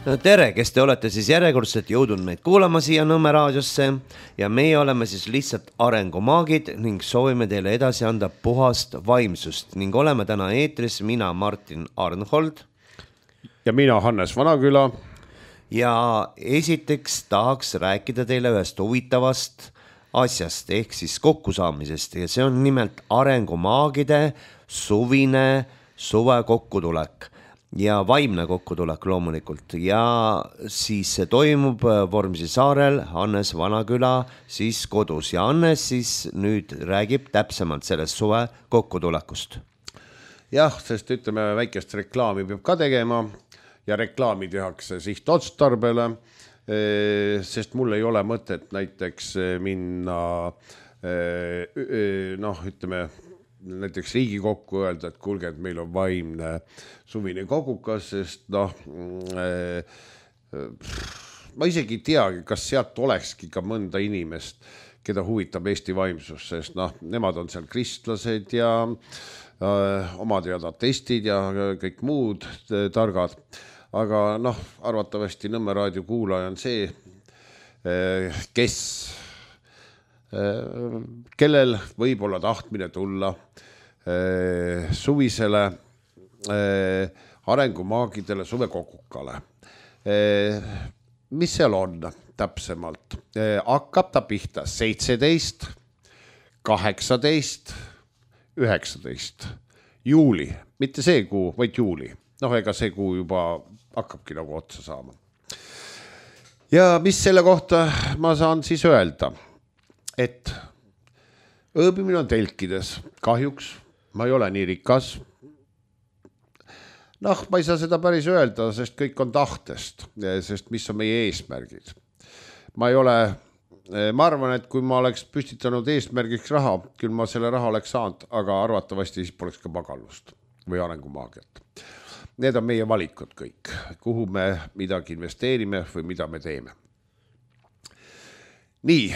Tere, kes te olete siis järjekordselt jõudnud meid kuulama siia Nõmme raadiosse ja meie oleme siis lihtsalt arengumaagid ning soovime teile edasi anda puhast vaimsust ning oleme täna eetris mina, Martin Arnhold. Ja mina, Hannes Vanaküla. Ja esiteks tahaks rääkida teile ühest huvitavast asjast ehk siis kokkusaamisest ja see on nimelt arengumaagide suvine suve kokkutulek. Ja vaimne kokkutulek loomulikult ja siis see toimub Vormsi saarel Hannes Vanaküla siis kodus ja Hannes siis nüüd räägib täpsemalt sellest suve kokkutulekust. Jah, sest ütleme väikest reklaami peab ka tegema ja reklaami tehakse sihtotstarbele, sest mul ei ole mõtet näiteks minna ütleme näiteks Riigikokku öelda, et kuulge, et meil on vaimne suvine kogukas, sest ma isegi ei teagi, kas sealt olekski ka mõnda inimest, keda huvitab Eesti vaimsus, sest nemad on seal kristlased ja omad ja atestid ja kõik muud targad. Aga arvatavasti Nõmme raadio kuulaja on see, kes kellel võib olla tahtmine tulla suvisele arengumaagidele suvekokukale. Mis seal on täpsemalt? Hakkab ta pihta 17, 18, 19 juuli, mitte see kuu, vaid juuli. Ega see kuu juba hakkabki nagu otsa saama. Ja mis selle kohta ma saan siis öelda? Et ööbimine on telkides. Kahjuks ma ei ole nii rikas. Ma ei saa seda päris öelda, sest kõik on tahtest, sest mis on meie eesmärgid. Ma arvan, et kui ma oleks püstitanud eesmärgiks raha, küll ma selle raha oleks saanud, aga arvatavasti siis poleks ka magallust või arengumaagiat. Need on meie valikud kõik, kuhu me midagi investeerime või mida me teeme. Nii,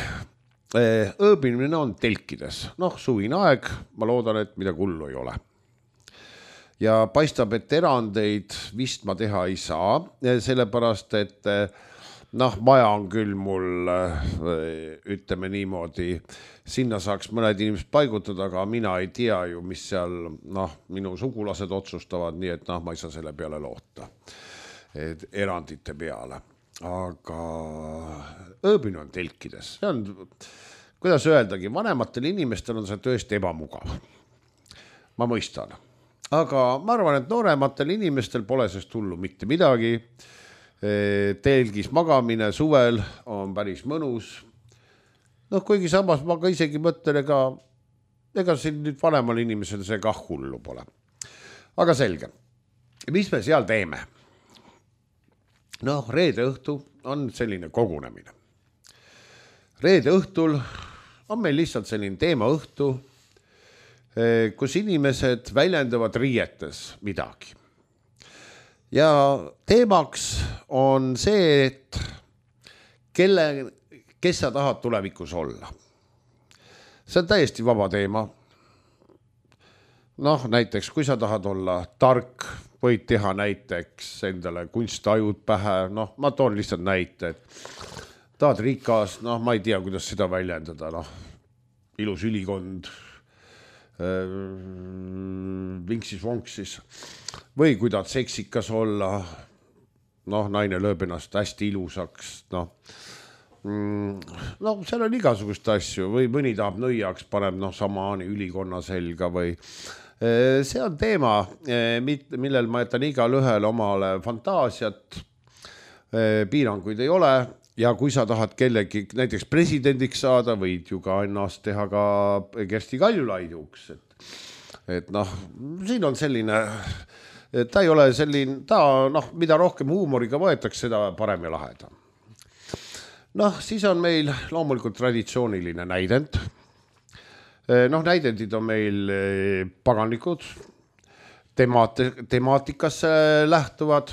ööbimine on telkides. Suvine aeg, ma loodan, et midagi hullu ei ole. Ja paistab, et erandeid vist ma teha ei saa, sellepärast, et maja on küll mul, ütleme niimoodi, sinna saaks mõned inimesed paigutada, aga mina ei tea ju, mis seal minu sugulased otsustavad, nii et ma ei saa selle peale loota, erandite peale. Aga ööbimine on telkides. See on, kuidas öeldagi, vanematel inimestel on see tõesti ebamugav. Ma mõistan. Aga ma arvan, et noorematel inimestel pole sest hullu mitte midagi. Telgis magamine suvel on päris mõnus. Kuigi samas ma ka isegi mõtlen, ega siin nüüd vanemal inimesel see kah hullu pole. Aga selge. Mis me seal teeme? Reede õhtu on selline kogunemine. Reede õhtul on meil lihtsalt selline teema õhtu, kus inimesed väljendavad riietes midagi. Ja teemaks on see, et kes sa tahad tulevikus olla. See on täiesti vaba teema. Näiteks, kui sa tahad olla tark, võid teha näiteks endale kunstajud pähe. Ma toon lihtsalt näite, et tahad rikas, ma ei tea, kuidas seda väljendada. Ilus ülikond, vinksis-vonksis. Või kui tahad seksikas olla, naine lööb ennast hästi ilusaks. Seal on igasugust asju. Või mõni tahab nõiaks, paneb samaani ülikonna selga või see on teema, millel ma jätan igal ühel omale fantaasiat, piiranguid ei ole ja kui sa tahad kellegi näiteks presidendiks saada, võid ju ka ennast teha ka Kersti Kaljulaiduks. Et siin on selline, ta ei ole selline, mida rohkem huumoriga võetakse, seda parem ja lahedam. Siis on meil loomulikult traditsiooniline näidend. Näidendid on meil paganlikud, temaatikasse lähtuvad.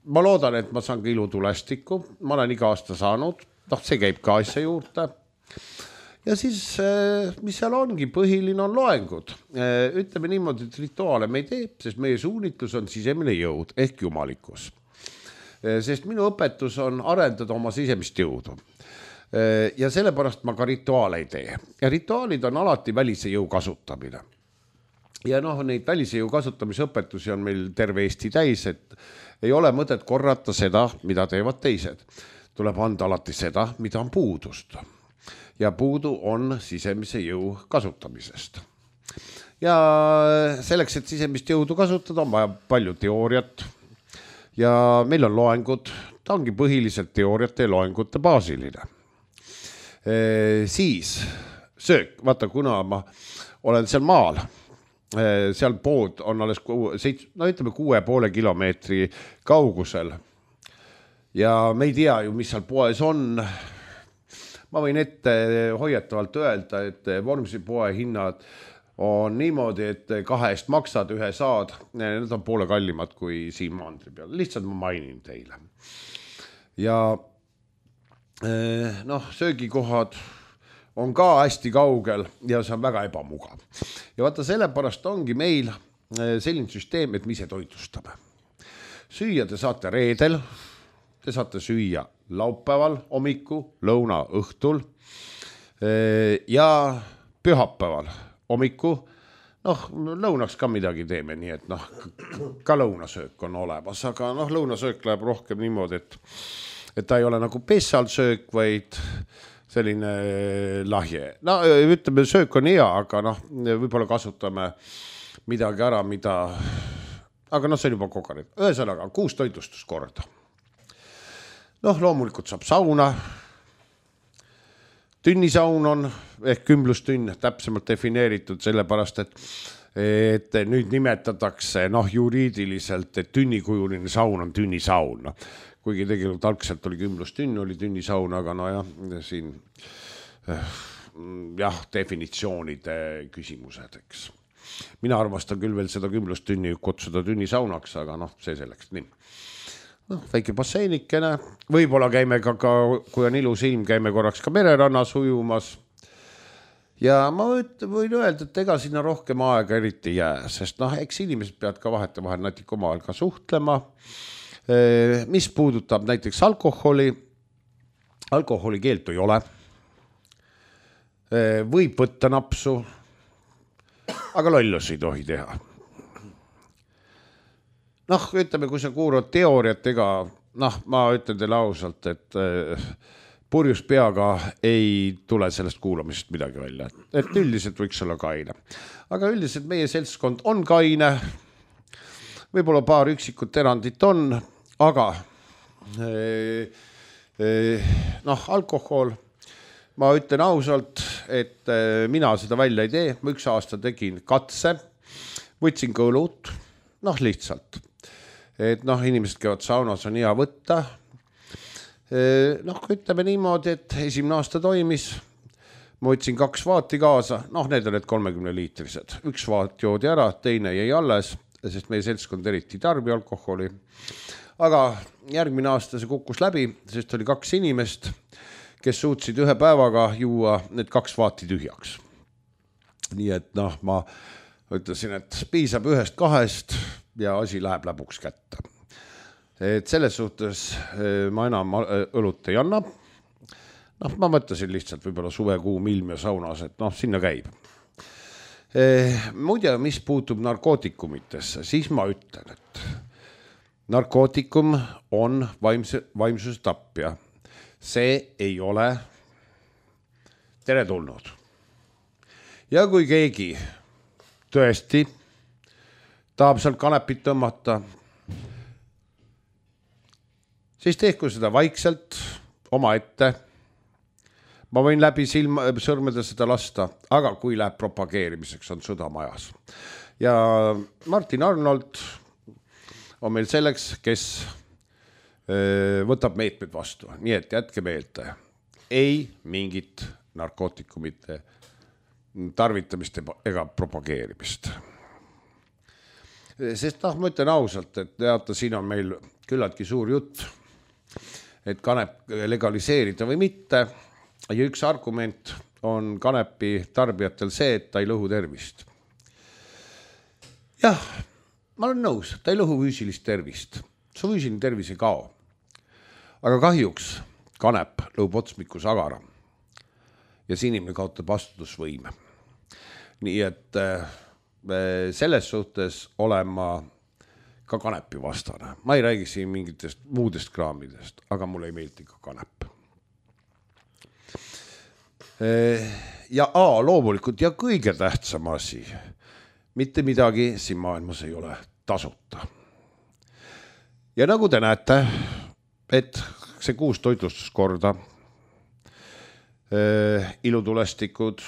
Ma loodan, et ma saan ka ilutulestikku. Ma olen iga aasta saanud. See käib ka asja juurde. ja siis, mis seal ongi, põhiline on loengud. Ütleme niimoodi, et rituaale me ei tee, sest meie suunitlus on sisemine jõud ehk jumalikkus. Sest minu õpetus on arendada oma sisemist jõudu. Ja sellepärast ma ka rituaale ei tee. Ja rituaalid on alati välise jõu kasutamine. Ja neid välise jõu kasutamise õpetusi on meil terve Eesti täis, et ei ole mõtet korrata seda, mida teevad teised. Tuleb anda alati seda, mida on puudust. Ja puudu on sisemise jõu kasutamisest. Ja selleks, et sisemist jõudu kasutada, on vaja palju teooriat. Ja meil on loengud, ta ongi põhiliselt teooriate ja loengute baasiline. Siis söök, vaata kuna ma olen seal maal, seal pood on alles 6,5 kilomeetri kaugusel ja me ei tea ju, mis seal poes on. Ma võin ette hoiatavalt öelda, et Vormsi poe hinnad on niimoodi, et 2 maksad, 1 saad, need on poole kallimad kui siin maantri peal, lihtsalt ma mainin teile. Ja söögikohad on ka hästi kaugel ja see on väga ebamugav. Ja vaata sellepärast ongi meil selline süsteem, et me ise toitlustame. Süüa te saate reedel, te saate süüa laupäeval, hommiku, lõuna, õhtul ja pühapäeval, hommiku, lõunaks ka midagi teeme, nii et ka lõunasöök on olemas, aga lõunasöök läheb rohkem niimoodi, et ta ei ole nagu pessalsöök, vaid selline lahje. Ütleme, söök on hea, aga võib-olla kasutame midagi ära, aga see on juba kogenud. Ühesõnaga, 6 toitlustuskorda. Loomulikult saab sauna. Tünnisaun on ehk kümblustünn täpsemalt defineeritud sellepärast, et nüüd nimetatakse juriidiliselt, et tünnikujuline saun on tünnisaun. Kuigi tegelikult algselt oli kümblustünn, oli tünnisaun, aga siin definitsioonide küsimused, eks. Mina armastan küll veel seda kümblustünni kutsuda tünnisaunaks, aga see selleks nii. Väike basseinikene, võib-olla käime ka, kui on ilus ilm, käime korraks ka mererannas ujumas. Ja ma võin öelda, et ega sinna rohkem aega eriti jää, sest eks inimesed peavad ka vahetevahel natuke omavahel ka suhtlema. Mis puudutab näiteks alkoholi keeldu ei ole. Võib võtta napsu, aga lollus ei tohi teha. Ütleme, kui sa kuulad teooriat, ma ütlen teile ausalt, et purjus peaga ei tule sellest kuulamisest midagi välja. Et üldiselt võiks olla kaine. Aga üldiselt meie seltskond on kaine. Võib-olla paar üksikut erandit on, aga alkohol, ma ütlen ausalt, et mina seda välja ei tee. Ma 1 aasta tegin katse, võtsin ka õlut, lihtsalt. Et inimesed käivad saunas, on hea võtta. Ütleme niimoodi, et esimene aasta toimis. Ma võtsin 2 vaati kaasa, need on need 30-liitrised. 1 vaat joodi ära, teine jäi alles, sest meie seltskond eriti tarbi alkoholi. Aga järgmine aasta see kukkus läbi, sest oli 2 inimest, kes suutsid 1 päevaga juua need 2 vaati tühjaks. Nii et ma ütlesin, et piisab 1-2 ja asi läheb läbuks kätte. Et selles suhtes ma enam õlut ei anna. Ma mõtlesin lihtsalt võib-olla suvekuum ilm ja saunas, et sinna käib. Muide, mis puutub narkootikumitesse, siis ma ütlen, et narkootikum on vaimsuse tapja. See ei ole teretulnud. Ja kui keegi tõesti tahab sealt kanepit tõmmata, siis tehku seda vaikselt oma ette. Ma võin läbi sõrmede seda lasta, aga kui läheb propageerimiseks, on sõda majas. Ja Martin Arnold on meil selleks, kes võtab meetmed vastu. Nii et jätke meelde, ei mingit narkootikumite tarvitamist ega propageerimist. Sest ma ütlen ausalt, et teata, siin on meil küllaltki suur jutt, et kanep legaliseerida või mitte. Ja üks argument on kanepi tarbijatel see, et ta ei lõhu tervist. Jah, ma olen nõus, ta ei lõhu füüsilist tervist. Su füüsiline tervis ei kao. Aga kahjuks kanep lõhub otsmikus agara ja see inimene kaotab vastutusvõime. Nii et selles suhtes olen ma ka kanepi vastane. Ma ei räägi siin mingitest muudest kraamidest, aga mulle ei meeldi ka kanep. Ja loomulikult ja kõige tähtsam asi, mitte midagi siin maailmas ei ole tasuta. Ja nagu te näete, et see 6 toitlustuskorda, ilutulestikud,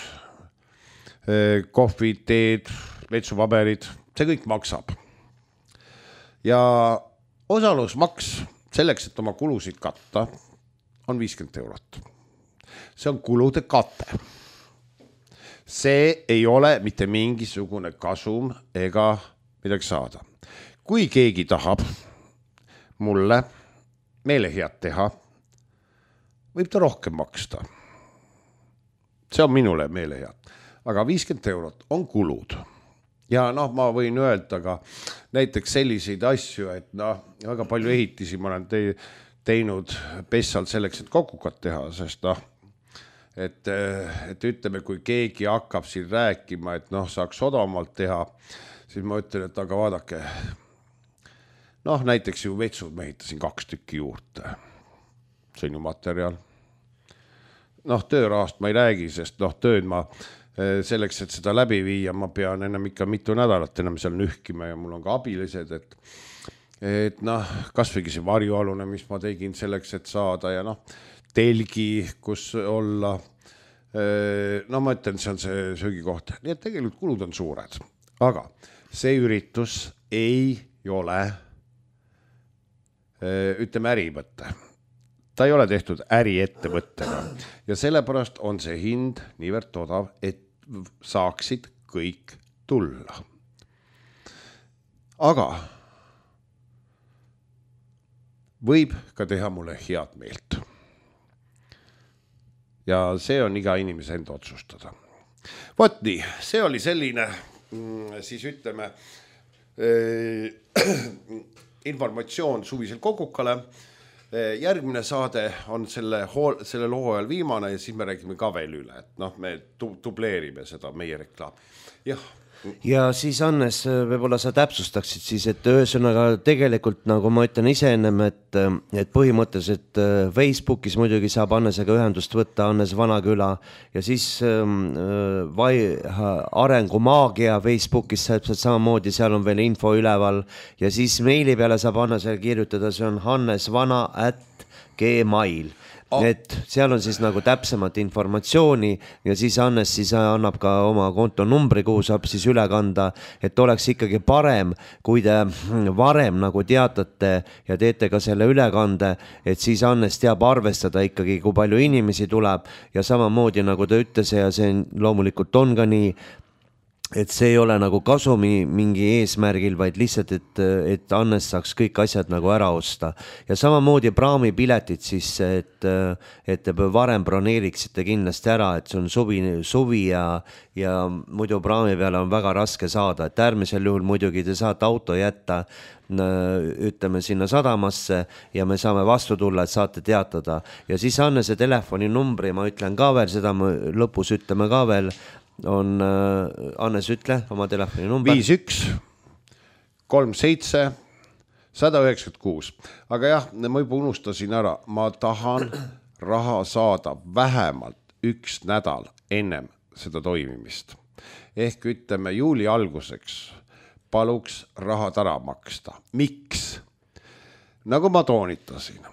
kohvid, teed, vetsupaberid, see kõik maksab. Ja osalusmaks selleks, et oma kulusid katta, on 50 €. See on kulude kate. See ei ole mitte mingisugune kasum ega midagi saada. Kui keegi tahab mulle meelehead teha, võib ta rohkem maksta. See on minule meelehead. Aga 50 € on kulud. Ja ma võin öelda ka näiteks selliseid asju, et väga palju ehitisi ma olen teinud Pessal selleks, et kokukat teha, sest et ütleme, kui keegi hakkab siin rääkima, et saaks odavamalt teha, siis ma ütlen, et aga vaadake, näiteks ju vetsud ma ehitasin 2 tükki juurde. See on ju materjal. Töörahast ma ei räägi, sest tööd ma selleks, et seda läbi viia, ma pean ennem ikka mitu nädalat ennem seal nühkima ja mul on ka abilised, et kas võigi see varjualune, mis ma tegin selleks, et saada ja telgi, kus olla. Ma ütlen, see on see söögikoht. Nii et tegelikult kulud on suured, aga see üritus ei ole, ütleme, ärivõtte. Ta ei ole tehtud äriettevõttega ja sellepärast on see hind niivõrd odav, et saaksid kõik tulla. Aga võib ka teha mulle head meelt. Ja see on iga inimese enda otsustada. Vot nii, see oli selline, siis ütleme, informatsioon suvisel kokukale. Järgmine saade on selle loo ajal viimane ja siis me räägime ka veel üle, et me dubleerime seda meie reklaam. Jah. Ja siis Hannes, võib-olla sa täpsustaksid siis, et ühesõnaga tegelikult nagu ma ütlen ise ennem, et põhimõtteliselt Facebookis muidugi saab Hannesega ühendust võtta, Hannes Vanaküla ja siis Arengumaagia Facebookis täpselt samamoodi, seal on veel info üleval ja siis meili peale saab Hannesele kirjutada, see on hannesvana@gmail. Et seal on siis nagu täpsemat informatsiooni ja siis Hannes siis annab ka oma kontonumbri, kuhu saab siis üle kanda, et oleks ikkagi parem, kui te varem nagu teatate ja teete ka selle ülekande, et siis Hannes teab arvestada ikkagi, kui palju inimesi tuleb ja samamoodi nagu ta ütles ja see loomulikult on ka nii, et see ei ole nagu kasumi mingi eesmärgil, vaid lihtsalt, et Hannes saaks kõik asjad nagu ära osta. Ja samamoodi praamipiletid siis, et te varem broneeriksite kindlasti ära, et see on suvi ja muidu praami peale on väga raske saada, et äärmisel juhul muidugi te saate auto jätta, ütleme sinna sadamasse ja me saame vastu tulla, et saate teatada. Ja siis Hannese telefoninumbri ma ütlen ka veel, seda me lõpus ütleme ka veel, on Hannes, ütle oma telefoni number 51 37 196. Aga jah, ma juba unustasin ära, ma tahan raha saada vähemalt 1 nädal ennem seda toimimist. Ehk ütleme juuli alguseks paluks rahad ära maksta. Miks? Nagu ma toonitasin,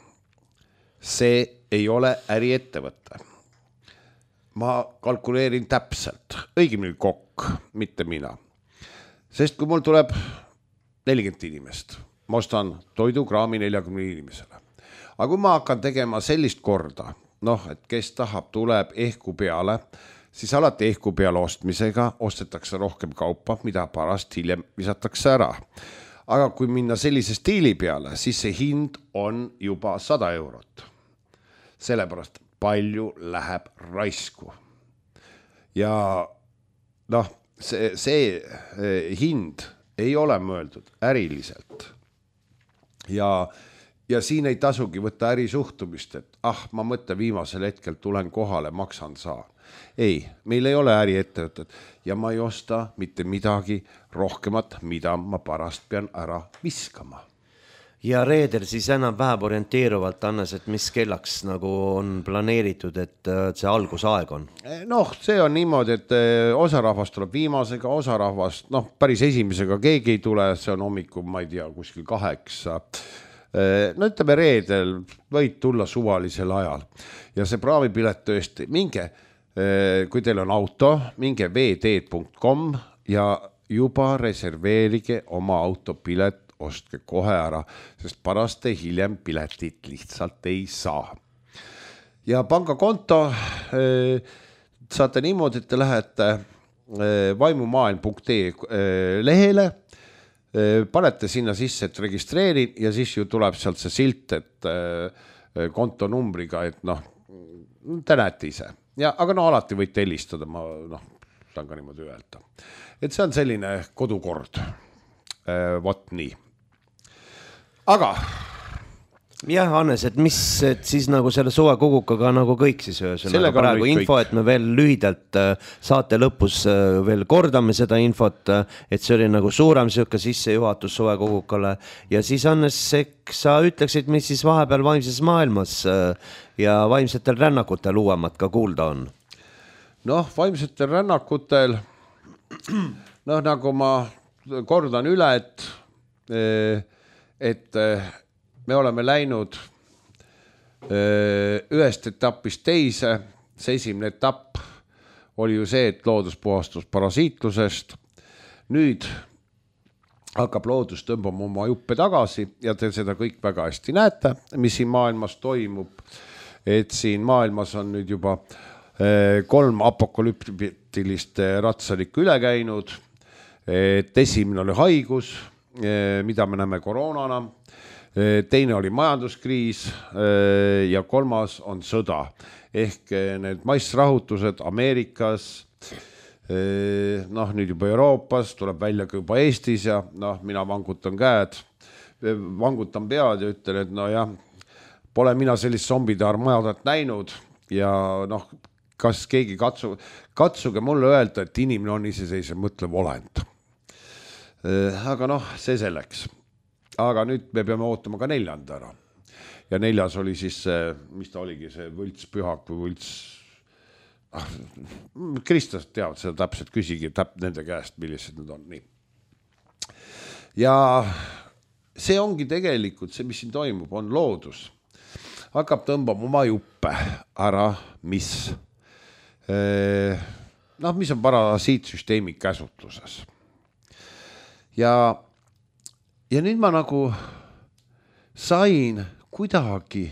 see ei ole äriettevõte. Ma kalkuleerin täpselt, õigemini kokk, mitte mina. Sest kui mul tuleb 40 inimest, ma ostan toidukraami 40 inimesele. Aga kui ma hakkan tegema sellist korda, et kes tahab, tuleb ehku peale, siis alati ehku peale ostmisega ostetakse rohkem kaupa, mida pärast hiljem visatakse ära. Aga kui minna sellise stiili peale, siis see hind on juba 100 €. Sellepärast palju läheb raisku. ja noh, see hind ei ole mõeldud äriliselt ja siin ei tasugi võtta ärisuhtumist, et ma mõtlen viimasel hetkel tulen kohale, maksan saan. Ei, meil ei ole äriettevõtet ja ma ei osta mitte midagi rohkemat, mida ma pärast pean ära viskama. Ja reedel siis enam-vähem orienteeruvalt annas, et mis kellaks nagu on planeeritud, et see algusaeg on? Noh, see on niimoodi, et osa rahvast tuleb viimasega, osa rahvast, päris esimesega keegi ei tule, see on hommikul, ma ei tea, kuskil 8. No ütleme reedel, võid tulla suvalisel ajal ja see praamipilet tõesti, minge, kui teil on auto, minge vd.com ja juba reserveerige oma autopilet, ostke kohe ära, sest pärast hiljem piletit lihtsalt ei saa. Ja pangakonto saate niimoodi, et te lähete vaimumaailm.ee lehele, panete sinna sisse, et registreerin ja siis ju tuleb sealt see silt, et kontonumbriga, et te näete ise. Aga alati võite helistada, ma saan ka niimoodi öelda. Et see on selline kodukord. Vot nii. Aga jah, Hannes, et mis et siis nagu selle suvekogukaga nagu kõik siis ühesõnaga praegu info, et me veel lühidalt saate lõpus veel kordame seda infot, et see oli nagu suurem siuke sissejuhatus suvekogukale ja siis Hannes, eks sa ütleksid, mis siis vahepeal vaimses maailmas ja vaimsetel rännakutel uuemat ka kuulda on? Vaimsetel rännakutel nagu ma kordan üle, et me oleme läinud ühest etapist teise. See esimene etapp oli ju see, et loodus puhastus parasiitlusest. Nüüd hakkab loodus tõmbama oma juppe tagasi ja te seda kõik väga hästi näete, mis siin maailmas toimub. Et siin maailmas on nüüd juba 3 apokalüptilist ratsalikku üle käinud. Et esimene oli haigus, mida me näeme koroonana. Teine oli majanduskriis ja 3. on sõda. Ehk need massrahutused Ameerikas, nüüd juba Euroopas, tuleb välja ka juba Eestis ja mina vangutan käed, vangutan pead ja ütlen, et pole mina sellist zombide armadat näinud ja kas keegi katsuge mulle öelda, et inimene on iseseisev mõtlev olend. Aga see selleks. Aga nüüd me peame ootama ka 4. ära. Ja 4. oli siis, mis ta oligi, see võltspühak või võlts... Kristlased teavad seda täpselt, küsigi nende käest, millised need on. Nii. Ja see ongi tegelikult see, mis siin toimub, on loodus. Hakkab tõmbama oma juppe ära, mis on parasiitsüsteemi käsutluses. Ja nüüd ma nagu sain kuidagi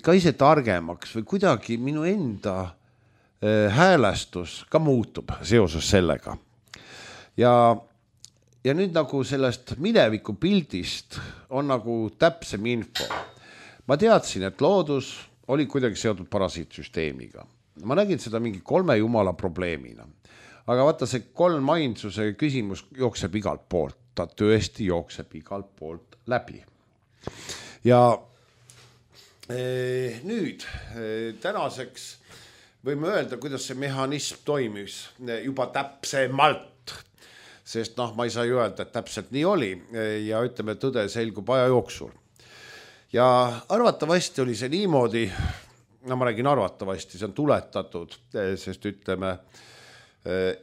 ka ise targemaks või kuidagi minu enda häälestus ka muutub seoses sellega. Ja nüüd nagu sellest mineviku pildist on nagu täpsem info. Ma teadsin, et loodus oli kuidagi seotud parasiitsüsteemiga. Ma nägin seda mingi 3 jumala probleemina. Aga vaata, see 3 ainsuse küsimus jookseb igalt poolt. Ta tõesti jookseb igalt poolt läbi. Ja nüüd tänaseks võime öelda, kuidas see mehhanism toimis juba täpsemalt. Sest ma ei saa ju öelda, et täpselt nii oli ja ütleme, tõde selgub aja jooksul. Ja arvatavasti oli see niimoodi, ma räägin arvatavasti, see on tuletatud, sest ütleme,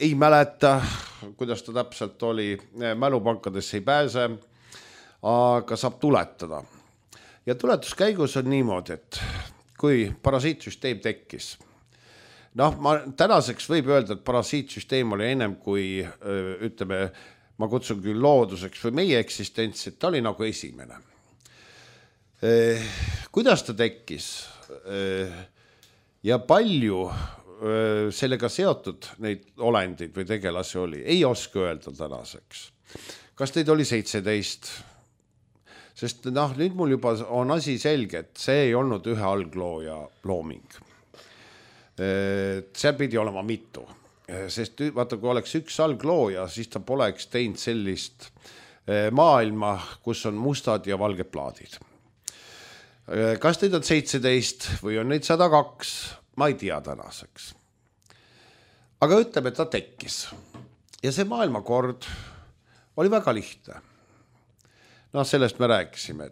ei mäleta, kuidas ta täpselt oli, mälupankadesse ei pääse, aga saab tuletada. Ja tuletuskäigus on niimoodi, et kui parasiitsüsteem tekkis, tänaseks võib öelda, et parasiitsüsteem oli ennem kui, ütleme, ma kutsun küll looduseks või meie eksistents, et ta oli nagu esimene. Kuidas ta tekkis ja palju sellega seotud neid olendid või tegelasi oli, ei oska öelda tänaseks. Kas teid oli 17? Sest nüüd mul juba on asi selge, et see ei olnud ühe alglooja looming. seal pidi olema mitu, sest vaata, kui oleks üks alglooja, siis ta poleks teinud sellist maailma, kus on mustad ja valged plaadid. Kas neid on 17 või on neid 102, ma ei tea tänaseks. Aga ütleme, et ta tekkis. Ja see maailmakord oli väga lihtne. Sellest me rääkisime,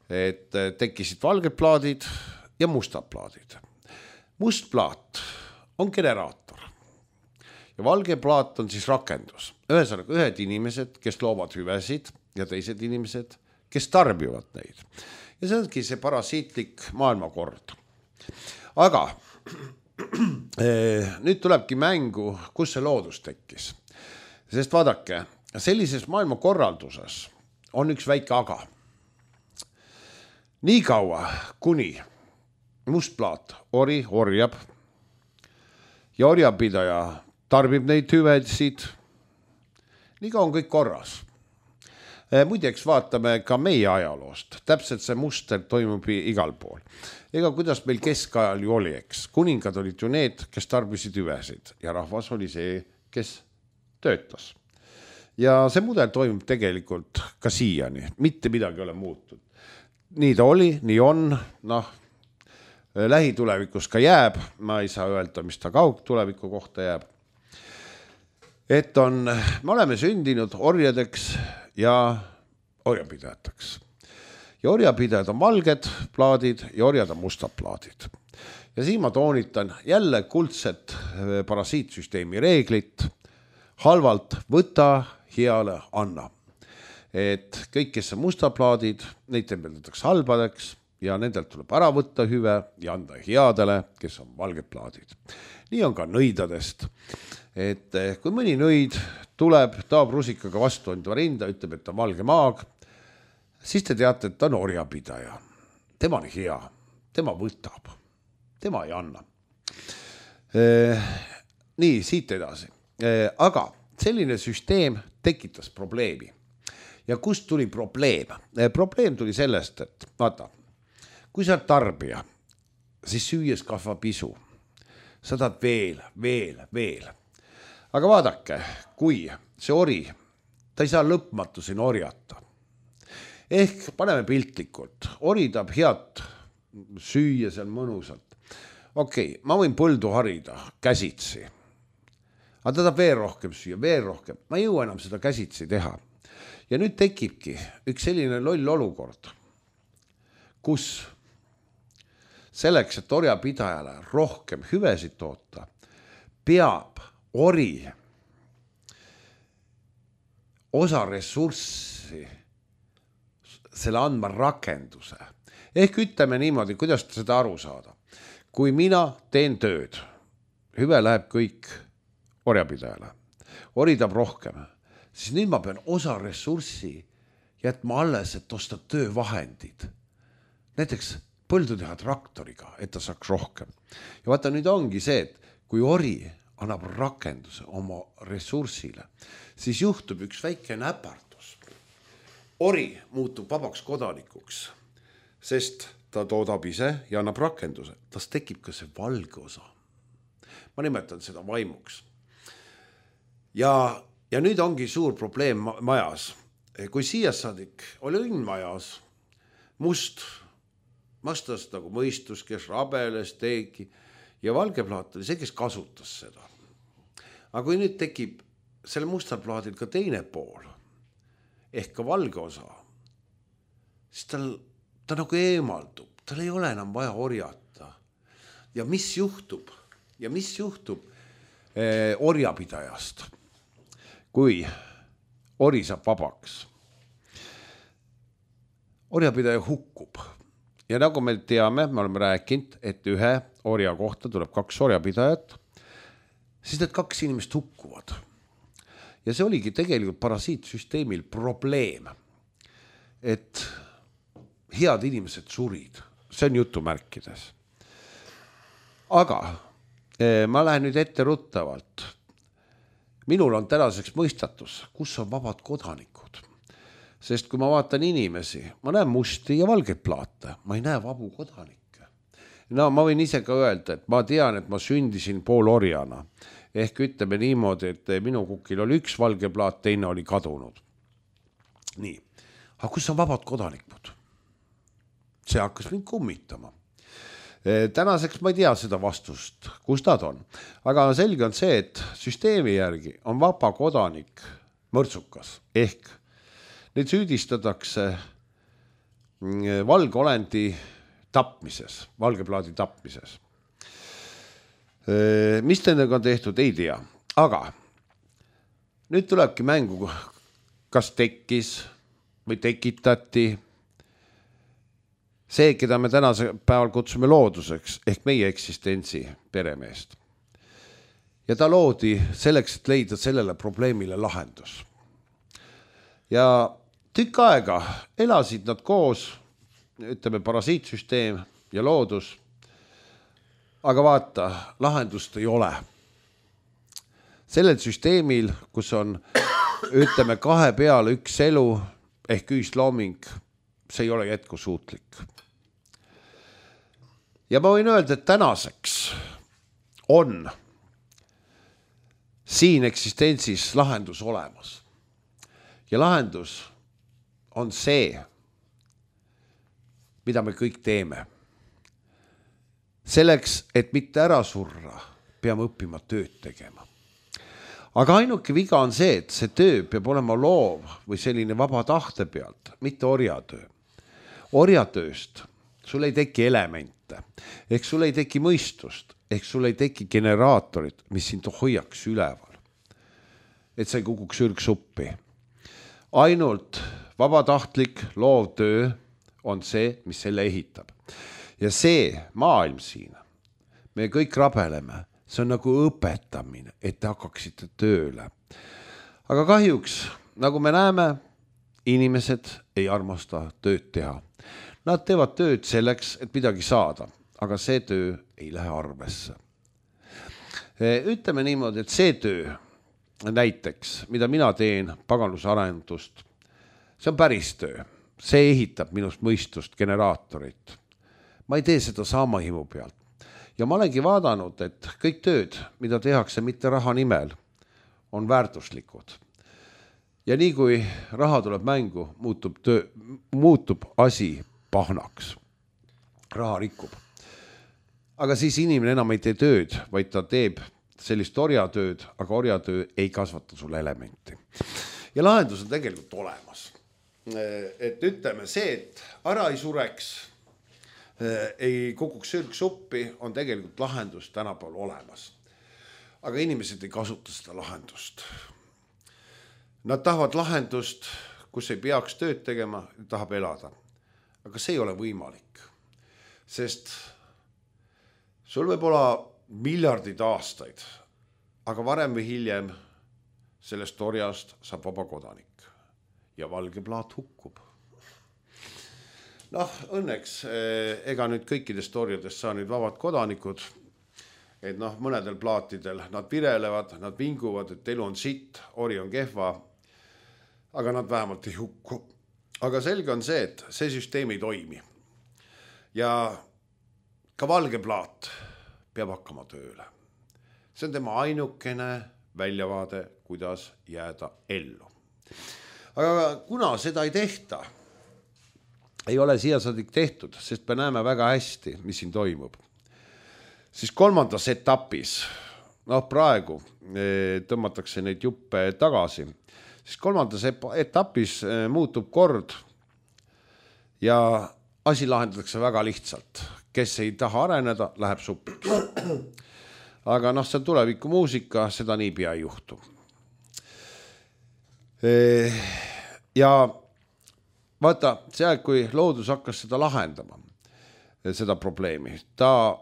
et tekkisid valged plaadid ja mustad plaadid. Must plaat on generaator ja valge plaat on siis rakendus. Ühesõnaga, ühed inimesed, kes loovad hüvesid ja teised inimesed, kes tarbivad neid. Ja see ongi see parasiitlik maailmakord. Aga nüüd tulebki mängu, kus see loodus tekkis. Sest vaadake, sellises maailmakorralduses on üks väike aga. Nii kaua, kuni must plaat ori orjab ja orjapidaja tarbib neid hüvesid, nii ka on kõik korras. Muideks vaatame ka meie ajaloost. Täpselt see muster toimub igal pool. Ega kuidas meil keskajal ju oli, eks. Kuningad olid ju need, kes tarbisid hüvesid ja rahvas oli see, kes töötas. Ja see mudel toimub tegelikult ka siiani. Mitte midagi ei ole muutunud. Nii ta oli, nii on, lähitulevikus ka jääb, ma ei saa öelda, mis ta kaugtuleviku kohta jääb. Et me oleme sündinud orjadeks ja orjapidajateks. Ja orjapidajad on valged plaadid ja orjad on mustad plaadid. Ja siin ma toonitan jälle kuldset parasiitsüsteemi reeglit. Halvalt võta, heale anna. Et kõik, kes on mustad plaadid, neid tembeldatakse halbadeks ja nendelt tuleb ära võtta hüve ja anda headele, kes on valged plaadid. Nii on ka nõidadest. Et kui mõni nõid tuleb, taab rusikaga vastu enda rinda, ütleb, et ta on valge maag, siis te teate, et ta on orjapidaja. Tema on hea, tema võtab, tema ei anna. Nii, siit edasi. Aga selline süsteem tekitas probleemi. Ja kust tuli probleem? Probleem tuli sellest, et vaata, kui sa oled tarbija, siis süües kasvab isu. Sa tahad veel. Aga vaadake, kui see ori, ta ei saa lõpmatu siin orjata. Ehk paneme piltlikult, ori tahab head süüa seal mõnusalt. Okei, ma võin põldu harida käsitsi. Aga ta tahab veel rohkem süüa, veel rohkem. Ma ei jõua enam seda käsitsi teha. Ja nüüd tekibki üks selline loll olukord, kus selleks, et orjapidajale rohkem hüvesid toota, peab ori osa ressurssi selle andma rakenduse. Ehk ütleme niimoodi, kuidas seda aru saada. Kui mina teen tööd, hüve läheb kõik orjapidajale, ori tahab rohkem, siis nüüd ma pean osa ressurssi jätma alles, et osta töövahendid. Näiteks põldu teha traktoriga, et ta saaks rohkem. Ja vaata, nüüd ongi see, et kui ori annab rakenduse oma ressursile, siis juhtub üks väike näpardus. Ori muutub vabaks kodanikuks, sest ta toodab ise ja annab rakenduse. Tas tekib ka see valge osa. Ma nimetan seda vaimuks. Ja nüüd ongi suur probleem majas. Kui siia saadik oli õnn majas, must, vastas nagu mõistus, kes rabeles, teegi ja valge plaat oli see, kes kasutas seda. Aga kui nüüd tekib selle mustal plaadil ka teine pool, ehk ka valge osa, siis ta nagu eemaldub, tal ei ole enam vaja orjata. Ja mis juhtub orjapidajast, kui ori saab vabaks? Orjapidaja hukkub. Ja nagu me teame, me oleme rääkinud, et ühe orja kohta tuleb 2 orjapidajat, siis need 2 inimest hukkuvad. Ja see oligi tegelikult parasiitsüsteemil probleem, et head inimesed surid. See on jutumärkides. Aga ma lähen nüüd ette ruttavalt. Minul on tänaseks mõistatus, kus on vabad kodanikud. Sest kui ma vaatan inimesi, ma näen musti ja valgeid plaate, ma ei näe vabu kodanikke. no ma võin ise ka öelda, et ma tean, et ma sündisin poolorjana. Ehk ütleme niimoodi, et minu kukil oli üks valge plaat, teine oli kadunud. Nii, aga kus on vabad kodanikud? See hakkas mind kummitama. Tänaseks ma ei tea seda vastust, kus nad on. Aga selge on see, et süsteemi järgi on vaba kodanik mõrtsukas. Ehk neid süüdistatakse valgeolendi tapmises, valgeplaadi tapmises. Mis nendega on tehtud, ei tea. Aga nüüd tulebki mängu, kas tekkis või tekitati see, keda me tänase päeval kutsume looduseks, ehk meie eksistentsi peremeest. Ja ta loodi selleks, et leida sellele probleemile lahendus. Ja tükk aega elasid nad koos, ütleme parasiitsüsteem ja loodus. Aga vaata, lahendust ei ole. Sellel süsteemil, kus on, ütleme, 2 peale 1 elu ehk ühislooming, see ei ole jätkusuutlik. Ja ma võin öelda, et tänaseks on siin eksistentsis lahendus olemas. Ja lahendus on see, mida me kõik teeme. Selleks, et mitte ära surra, peame õppima tööd tegema. Aga ainuke viga on see, et see töö peab olema loov või selline vaba tahte pealt, mitte orjatöö. Orjatööst sul ei teki elemente, ehk sul ei teki mõistust, ehk sul ei teki generaatorit, mis sind hoiaks üleval. Et sa ei kukuks ürgsuppi. Ainult vabatahtlik loov töö on see, mis selle ehitab. Ja see maailm siin, me kõik rabeleme, see on nagu õpetamine, et te hakkaksite tööle. Aga kahjuks, nagu me näeme, inimesed ei armasta tööd teha. Nad teevad tööd selleks, et midagi saada, aga see töö ei lähe arvesse. Ütleme niimoodi, et see töö, näiteks, mida mina teen paganlusarendust, see on päris töö. See ehitab minust mõistust, generaatorit. Ma ei tee seda saamahimu pealt. Ja ma olengi vaadanud, et kõik tööd, mida tehakse mitte raha nimel, on väärtuslikud. Ja nii kui raha tuleb mängu, muutub asi pahnaks. Raha rikub. Aga siis inimene enam ei tee tööd, vaid ta teeb sellist orjatööd, aga orjatöö ei kasvata sulle elementi. Ja lahendus on tegelikult olemas. Et ütleme see, et ära ei sureks, ei kukuks sürgsuppi, on tegelikult lahendus tänapäeval olemas. Aga inimesed ei kasuta seda lahendust. Nad tahavad lahendust, kus ei peaks tööd tegema, tahab elada. Aga see ei ole võimalik. Sest sul võib olla miljardid aastaid, aga varem või hiljem sellest orjast saab vaba kodanik ja valge plaat hukkub. Noh, õnneks ega nüüd kõikidest orjadest saa nüüd vabad kodanikud, et noh, mõnedel plaatidel nad virelevad, nad vinguvad, et elu on sitt, ori on kehva, aga nad vähemalt ei hukku. Aga selge on see, et see süsteem ei toimi. Ja ka valge plaat peab hakkama tööle. See on tema ainukene väljavaade, kuidas jääda ellu. Aga kuna seda ei tehta, ei ole siiasadik tehtud, sest me näeme väga hästi, mis siin toimub. Siis 3. etapis, praegu tõmmatakse neid juppe tagasi, siis 3. etapis muutub kord ja asi lahendatakse väga lihtsalt. Kes ei taha areneda, läheb supiks. Aga see on tuleviku muusika, seda niipea ei juhtu. Ja vaata, see aeg, kui loodus hakkas seda lahendama, seda probleemi, ta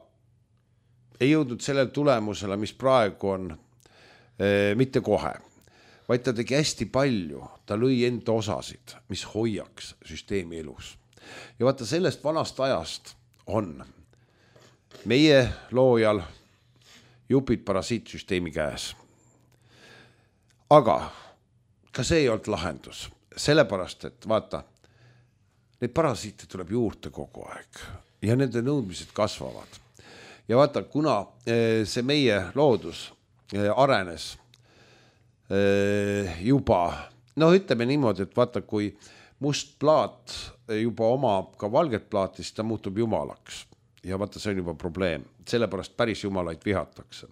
ei jõudnud sellele tulemusele, mis praegu on, mitte kohe, vaid ta tegi hästi palju, ta lõi enda osasid, mis hoiaks süsteemi elus. Ja vaata, sellest vanast ajast on meie loojal jupid parasiitsüsteemi käes. Aga ka see ei olnud lahendus, sellepärast, et vaata, neid parasiite tuleb juurde kogu aeg ja nende nõudmised kasvavad. Ja vaata, kuna see meie loodus arenes juba, no ütleme niimoodi, et vaata, kui must plaat juba omab ka valget plaati, siis ta muutub jumalaks. Ja vaata, see on juba probleem. Sellepärast päris jumalaid vihatakse.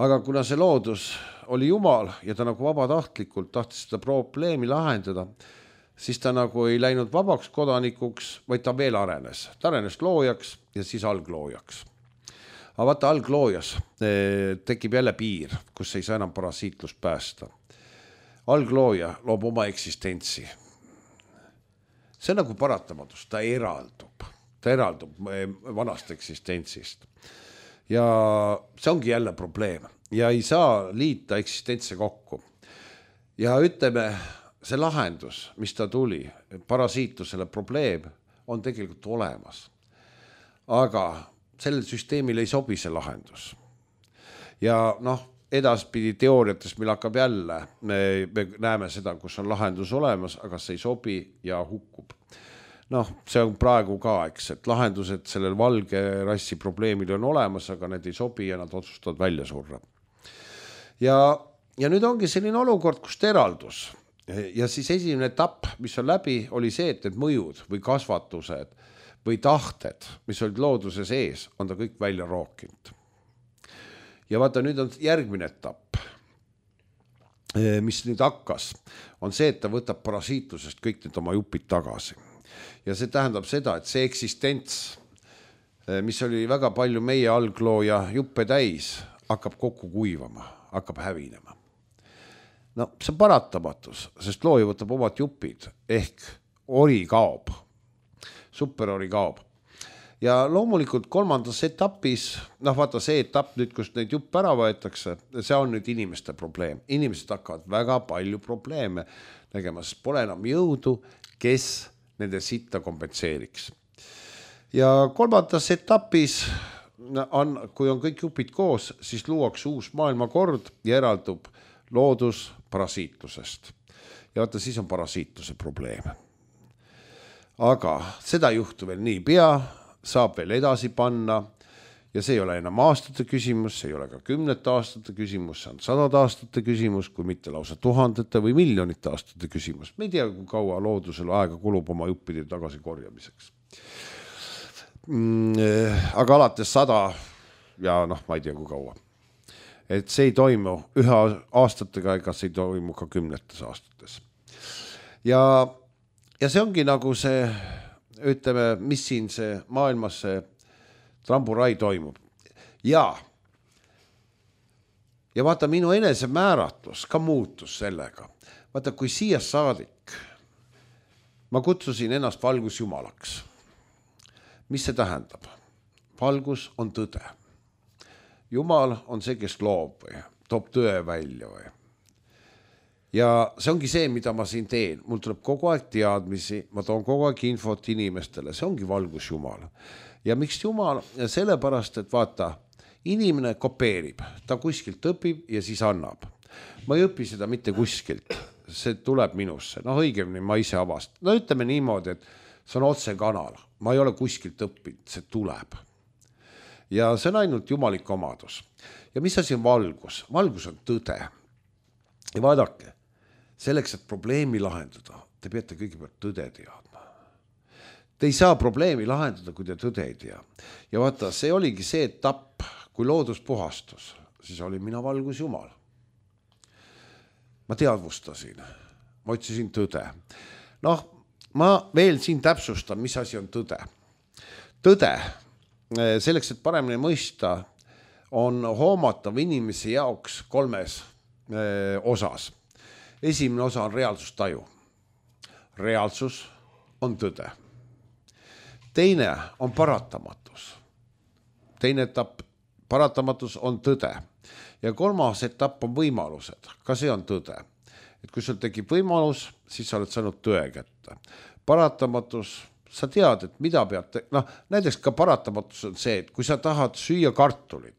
Aga kuna see loodus oli jumal ja ta nagu vabatahtlikult tahtis seda probleemi lahendada, siis ta nagu ei läinud vabaks kodanikuks, vaid ta veel arenes. Ta arenes loojaks ja siis algloojaks. Aga vaata, algloojas tekib jälle piir, kus ei saa enam parasiitlust päästa. Alglooja loob oma eksistentsi. See on nagu paratamatus, ta eraldub vanast eksistentsist. Ja see ongi jälle probleem ja ei saa liita eksistentse kokku. Ja ütleme, see lahendus, mis ta tuli, parasiitlusele probleem, on tegelikult olemas. Aga sellel süsteemil ei sobi see lahendus. Ja edaspidi teooriates meil hakkab jälle, me näeme seda, kus on lahendus olemas, aga see ei sobi ja hukkub. See on praegu ka, et lahendused sellel valge rassi probleemil on olemas, aga need ei sobi ja nad otsustavad välja surra. Ja nüüd ongi selline olukord, kust eraldus. Ja siis esimene etapp, mis on läbi, oli see, et need mõjud või kasvatused või tahted, mis olid looduse sees, on ta kõik välja rookinud. Ja vaata, nüüd on järgmine etapp, mis nüüd hakkas, on see, et ta võtab parasiitlusest kõik need oma jupid tagasi. Ja see tähendab seda, et see eksistents, mis oli väga palju meie alglooja juppe täis, hakkab kokku kuivama, hakkab hävinema. See on paratamatus, sest looja võtab omad jupid, ehk ori kaob, superori kaob. Ja loomulikult kolmandas etapis, vaata see etapp nüüd, kus neid juppe ära võetakse, see on nüüd inimeste probleem. Inimesed hakkavad väga palju probleeme tegema, sest pole enam jõudu, kes nende sitta kompenseeriks. Ja kolmandas etapis, kui on kõik jupid koos, siis luuakse uus maailmakord ja eraldub loodus parasiitlusest. Ja vaata, siis on parasiitluse probleem. Aga seda juhtu veel nii pea, saab veel edasi panna ja see ei ole enam aastate küsimus, see ei ole ka 10 aastate küsimus, see on 100 aastate küsimus, kui mitte lausa 1000 või miljonite aastate küsimus. Me ei tea, kui kaua loodusel aega kulub oma juppide tagasi korjamiseks. Aga alates 100 ja ma ei tea, kui kaua. Et see ei toimu ühe aastatega, ega see ei toimu ka 10 aastates. Ja see ongi nagu see, ütleme, mis siin see maailmas see tramburai toimub. Ja vaata, minu enese määratlus ka muutus sellega. Vaata, kui siia saadik ma kutsusin ennast valgusjumalaks. Mis see tähendab? Valgus on tõde. Jumal on see, kes loob või toob tõe välja või. Ja see ongi see, mida ma siin teen. Mul tuleb kogu aeg teadmisi, ma toon kogu aeg infot inimestele. See ongi valgusjumal. Ja miks Jumal? Sellepärast, et vaata, inimene kopeerib, ta kuskilt õpib ja siis annab. Ma ei õpi seda mitte kuskilt, see tuleb minusse. Õigemini ma ise avast. Ütleme niimoodi, et see on otse kanal. Ma ei ole kuskilt õppinud, see tuleb. Ja see on ainult jumalik omadus. Ja mis asi on valgus? Valgus on tõde. Ja vaadake, selleks, et probleemi lahendada, te peate kõigepealt tõde teadma. Te ei saa probleemi lahendada, kui te tõde ei tea. Ja vaata, see oligi see etapp, kui loodus puhastus, siis oli mina valgus jumal. Ma teadvustasin, ma otsisin tõde. Ma veel siin täpsustan, mis asi on tõde. Tõde, selleks, et paremini mõista, on hoomatav inimese jaoks 3 osas. Esimene osa on reaalsustaju. Reaalsus on tõde. Teine on paratamatus. Teine etapp, paratamatus on tõde. Ja 3. etapp on võimalused. Ka see on tõde. Et kui sul tekib võimalus, siis sa oled saanud tõe kätte. Paratamatus, sa tead, et mida pead näiteks ka paratamatus on see, et kui sa tahad süüa kartulit,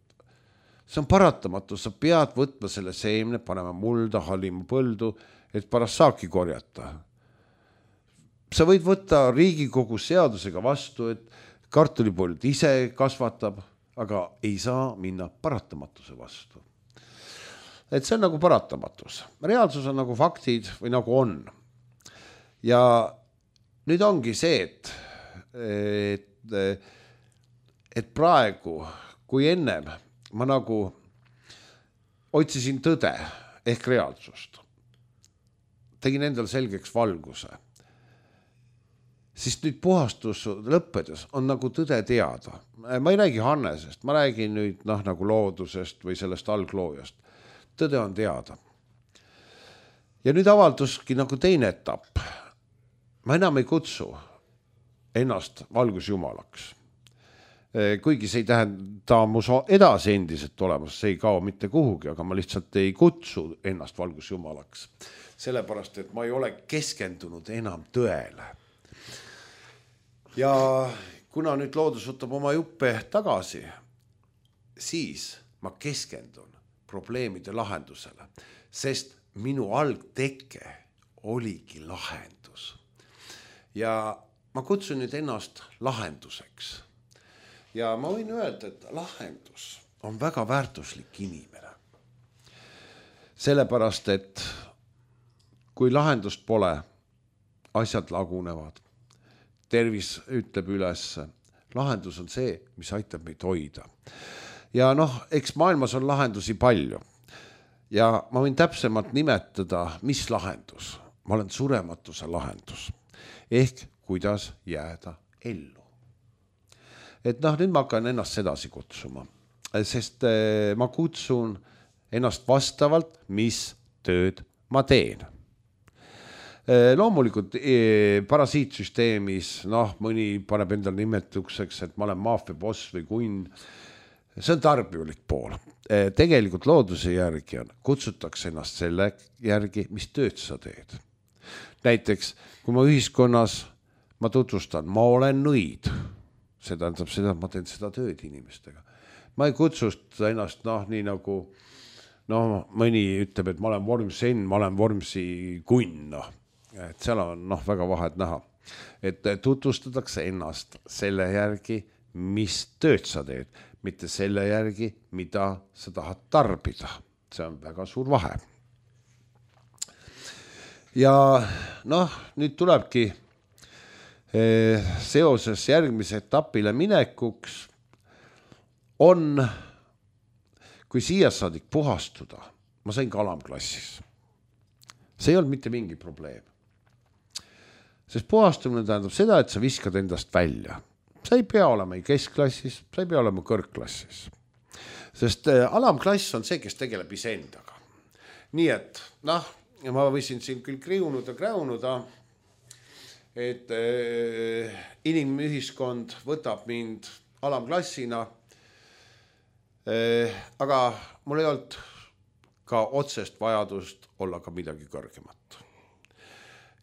see on paratamatus, sa pead võtma selle seemne, panema mulda, hallima põldu, et pärast saaki korjata. sa võid võtta Riigikogu seadusega vastu, et kartulipoolid ise kasvatab, aga ei saa minna paratamatuse vastu. Et see on nagu paratamatus. Reaalsus on nagu faktid või nagu on. Ja nüüd ongi see, et praegu, kui ennem ma nagu otsisin tõde ehk reaalsust, tegin endal selgeks valguse, siis nüüd puhastus lõppedes on nagu tõde teada. Ma ei räägi Hannesest, ma räägin nüüd nagu loodusest või sellest algloojast. Tõde on teada. Ja nüüd avalduski nagu teine etapp. Ma enam ei kutsu ennast valgusjumalaks. Kuigi see ei tähenda mu edasi endiselt olemas, see ei kao mitte kuhugi, aga ma lihtsalt ei kutsu ennast valgusjumalaks. Sellepärast, et ma ei ole keskendunud enam tõele. Ja kuna nüüd loodus võtab oma juppe tagasi, siis ma keskendun probleemide lahendusele, sest minu algteke oligi lahendus. Ja ma kutsun nüüd ennast lahenduseks. Ja ma võin öelda, et lahendus on väga väärtuslik inimene. Sellepärast, et kui lahendust pole, asjad lagunevad, tervis ütleb üles, lahendus on see, mis aitab meid hoida. Ja eks maailmas on lahendusi palju. Ja ma võin täpsemalt nimetada, mis lahendus. Ma olen surematuse lahendus. Ehk kuidas jääda ellu. Et nüüd ma hakkan ennast sedasi kutsuma, sest ma kutsun ennast vastavalt, mis tööd ma teen. Loomulikult parasiitsüsteemis, mõni paneb endal nimetuseks, et ma olen maafia boss või kunn. See on tarbijulik pool. Tegelikult looduse järgi kutsutakse ennast selle järgi, mis tööd sa teed. Näiteks, kui ma ühiskonnas ma tutvustan, ma olen nõid. See tähendab seda, et ma teen seda tööd inimestega. Ma ei kutsusta ennast nii nagu, mõni ütleb, et ma olen Vormsen, ma olen Vormsi kunn. Et seal on väga vahed näha. Et tutvustatakse ennast selle järgi, mis tööd sa teed, mitte selle järgi, mida sa tahad tarbida. See on väga suur vahe. Ja nüüd tulebki seoses järgmise etapile minekuks on, kui siia saadik puhastuda, ma sain ka alamklassis. See ei olnud mitte mingi probleem. Sest puhastumine tähendab seda, et sa viskad endast välja. Sa ei pea olema keskklassis, sa ei pea olema kõrgklassis. Sest alamklass on see, kes tegeleb iseendaga. Nii et, ma võisin siin küll kräunuda, et inimühiskond võtab mind alamklassina, aga mul ei olnud ka otsest vajadust olla ka midagi kõrgemat.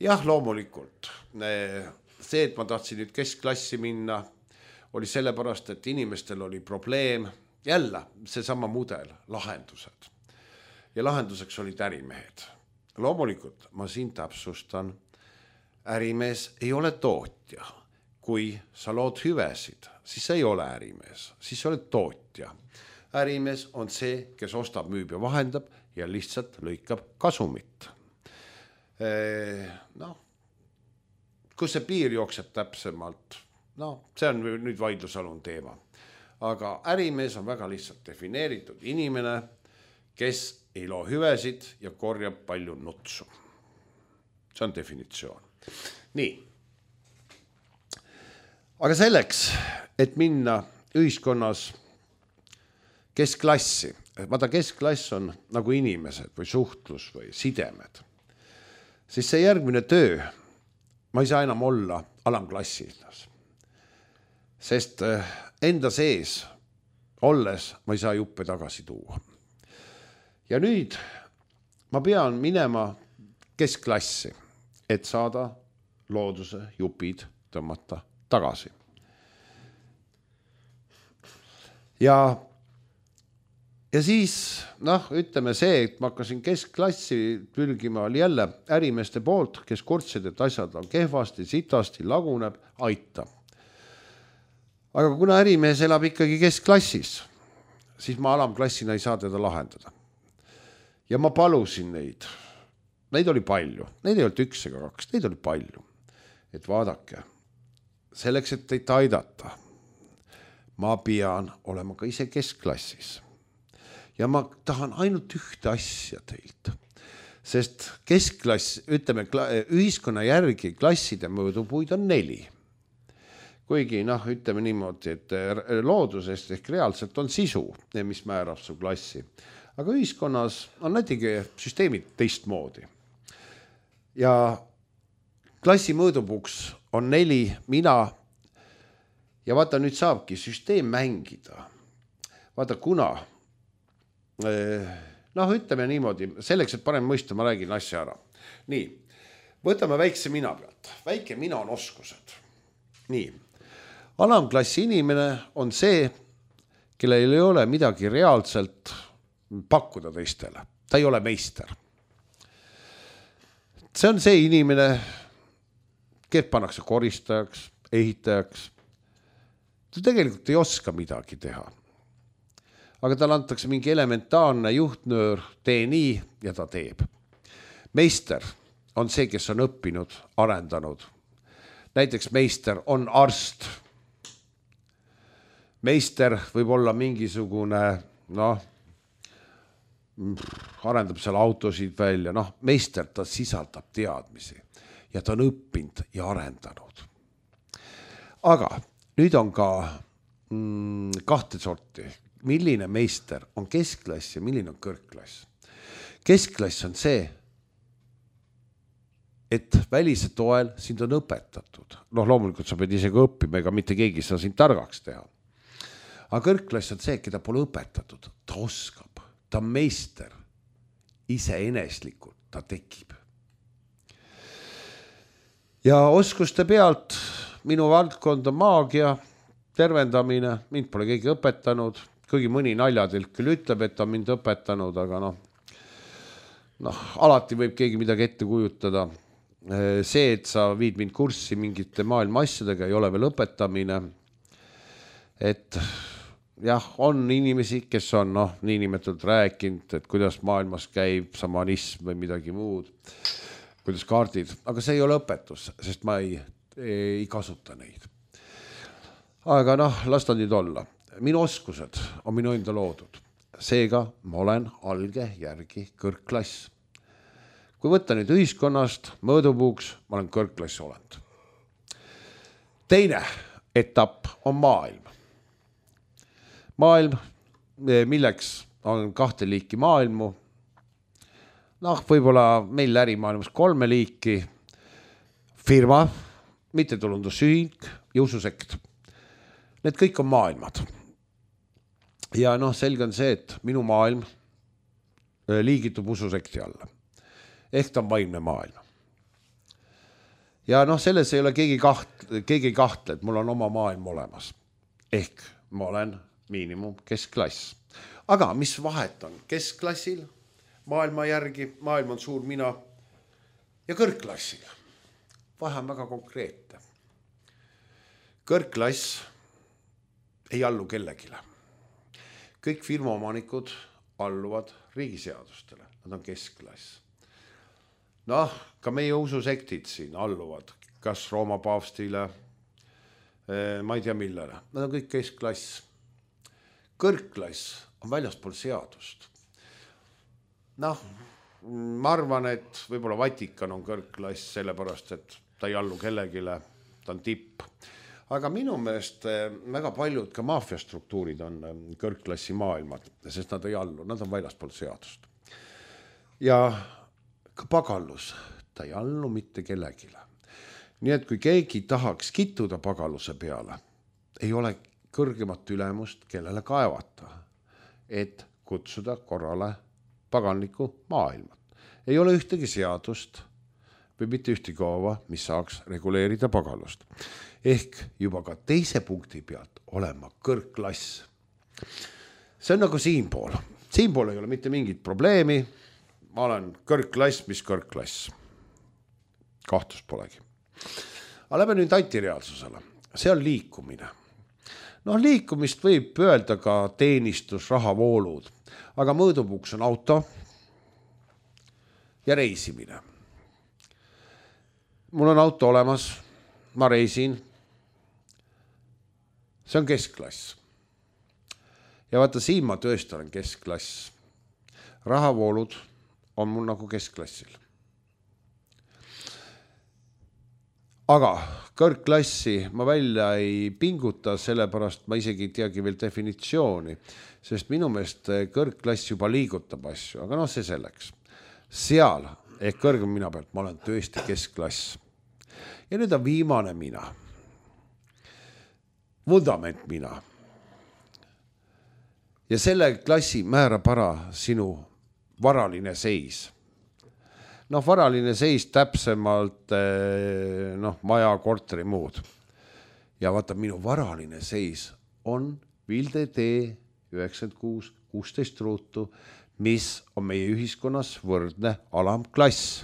Jah, loomulikult. See, et ma tahtsin nüüd keskklassi minna, oli sellepärast, et inimestel oli probleem. Jälle, seesama mudel, lahendused. Ja lahenduseks olid ärimehed. Loomulikult, ma siin täpsustan, ärimees ei ole tootja. Kui sa lood hüvesid, siis sa ei ole ärimees, siis sa oled tootja. Ärimees on see, kes ostab, müüb ja vahendab ja lihtsalt lõikab kasumit. Kus see piir jookseb täpsemalt? See on nüüd vaidlusalune teema. Aga ärimees on väga lihtsalt defineeritud inimene, kes ei loo hüvesid ja korjab palju nutsu. See on definitsioon. Nii. Aga selleks, et minna ühiskonnas keskklassi, vaata keskklass on nagu inimesed või suhtlus või sidemed, siis see järgmine töö, ma ei saa enam olla alamklassilas. Sest enda sees olles ma ei saa juppe tagasi tuua. Ja nüüd ma pean minema keskklassi, et saada looduse jupid tõmmata tagasi. Ja ja siis ütleme see, et ma hakkasin keskklassi pürgima, oli jälle ärimeeste poolt, kes kurtsid, et asjad on kehvasti, sitasti, laguneb, aita. Aga kuna ärimees elab ikkagi keskklassis, siis ma alamklassina ei saa teda lahendada. Ja ma palusin neid. Neid oli palju. Neid ei olnud 1 ega 2, neid oli palju. Et vaadake, selleks, et teid aidata, ma pean olema ka ise keskklassis. Ja ma tahan ainult ühte asja teilt. Sest keskklass, ütleme, ühiskonna järgi klasside mõõdupuid on 4. Kuigi ütleme niimoodi, et loodusest ehk reaalselt on sisu, mis määrab su klassi. Aga ühiskonnas on näitegi süsteemid teistmoodi. Ja klassi mõõdupuks on 4, mina. Ja vaata, nüüd saabki süsteem mängida. Vaata, kuna, ütleme niimoodi, selleks, et parem mõista, ma räägin asja ära. Nii, võtame väikse mina pealt. Väike mina on oskused. Nii, alamklassi inimene on see, kellel ei ole midagi reaalselt pakkuda teistele. Ta ei ole meister. See on see inimene, kes pannakse koristajaks, ehitajaks. Ta tegelikult ei oska midagi teha. Aga tal antakse mingi elementaarne juhtnöör, tee nii ja ta teeb. Meister on see, kes on õppinud, arendanud. Näiteks meister on arst. Meister võib olla mingisugune, arendab seal autosid välja. Meister, ta sisaldab teadmisi ja ta on õppinud ja arendanud. Aga nüüd on ka 2 sorti. Milline meister on keskklass ja milline on kõrgklass. Keskklass on see, et välise toel sind on õpetatud. Loomulikult sa pead isegi õppima, ega mitte keegi saa sind targaks teha. Aga kõrgklass on see, keda pole õpetatud. Ta oskab, ta on meister. Iseeneslikult ta tekib. Ja oskuste pealt minu valdkond on maagia, tervendamine, mind pole keegi õpetanud, kuigi mõni naljatilk küll ütleb, et ta mind õpetanud, aga alati võib keegi midagi ette kujutada. See, et sa viid mind kurssi mingite maailma asjadega, ei ole veel õpetamine. Et jah, on inimesi, kes on niinimetatult rääkinud, et kuidas maailmas käib samanism või midagi muud, kuidas kaardid, aga see ei ole õpetus, sest ma ei kasuta neid. Aga las ta nüüd olla. Minu oskused on minu enda loodud. Seega ma olen alge järgi kõrgklass. Kui võtta nüüd ühiskonnast mõõdupuuks, ma olen kõrgklass olend. Teine etapp on maailm. Maailm, milleks on 2 liiki maailmu. Võib-olla meil ärimaailmas 3 liiki. Firma, mittetulundusühing ja ususekt. Need kõik on maailmad. Ja selge on see, et minu maailm liigitub ususekti alla. Ehk ta on vaimne maailm. Ja selles ei ole keegi ei kahtle, et mul on oma maailm olemas. Ehk ma olen miinimum keskklass. Aga mis vahet on keskklassil, maailma järgi, maailm on suur mina, ja kõrgklassil? Vahe on väga konkreetne. Kõrgklass ei allu kellegile. Kõik firmaomanikud alluvad riigiseadustele. Nad on keskklass. Ka meie ususektid siin alluvad. Kas Rooma paavstile, ma ei tea millele. Nad on kõik keskklass. Kõrgklass on väljaspool seadust. Ma arvan, et võib-olla Vatikan on kõrgklass sellepärast, et ta ei allu kellegile. Ta on tipp. Aga minu meelest väga paljud ka maafiastruktuurid on kõrgklassi maailmad, sest nad ei allu, nad on väljaspool seadust. Ja ka pagallus, ta ei allu mitte kellegile. Nii et kui keegi tahaks kittuda pagalluse peale, ei ole kõrgemat ülemust, kellele kaevata, et kutsuda korrale paganliku maailma. Ei ole ühtegi seadust või mitte ühtegi koova, mis saaks reguleerida pagallust. Ehk juba ka teise punkti pealt olema kõrgklass. See on nagu siinpool. siinpool ei ole mitte mingit probleemi. Ma olen kõrgklass, mis kõrgklass. Kahtlust polegi. Aga lähme nüüd antireaalsusele. See on liikumine. Liikumist võib öelda ka teenistus, rahavoolud, aga mõõdupuuks on auto ja reisimine. Mul on auto olemas, ma reisin. See on keskklass. Ja vaata, siin ma tõesti olen keskklass. Rahavoolud on mul nagu keskklassil. Aga kõrgklassi ma välja ei pinguta, sellepärast ma isegi ei teagi veel definitsiooni, sest minu meelest kõrgklass juba liigutab asju, aga see selleks. Seal ehk kõrgem mina pealt ma olen tõesti keskklass. Ja nüüd on viimane mina. Vundament mina. Ja selle klassi määrab ära sinu varaline seis. Varaline seis täpsemalt maja, korteri, muud. Ja vaata, minu varaline seis on Vilde tee 96 16 ruutu, mis on meie ühiskonnas võrdne alamklass.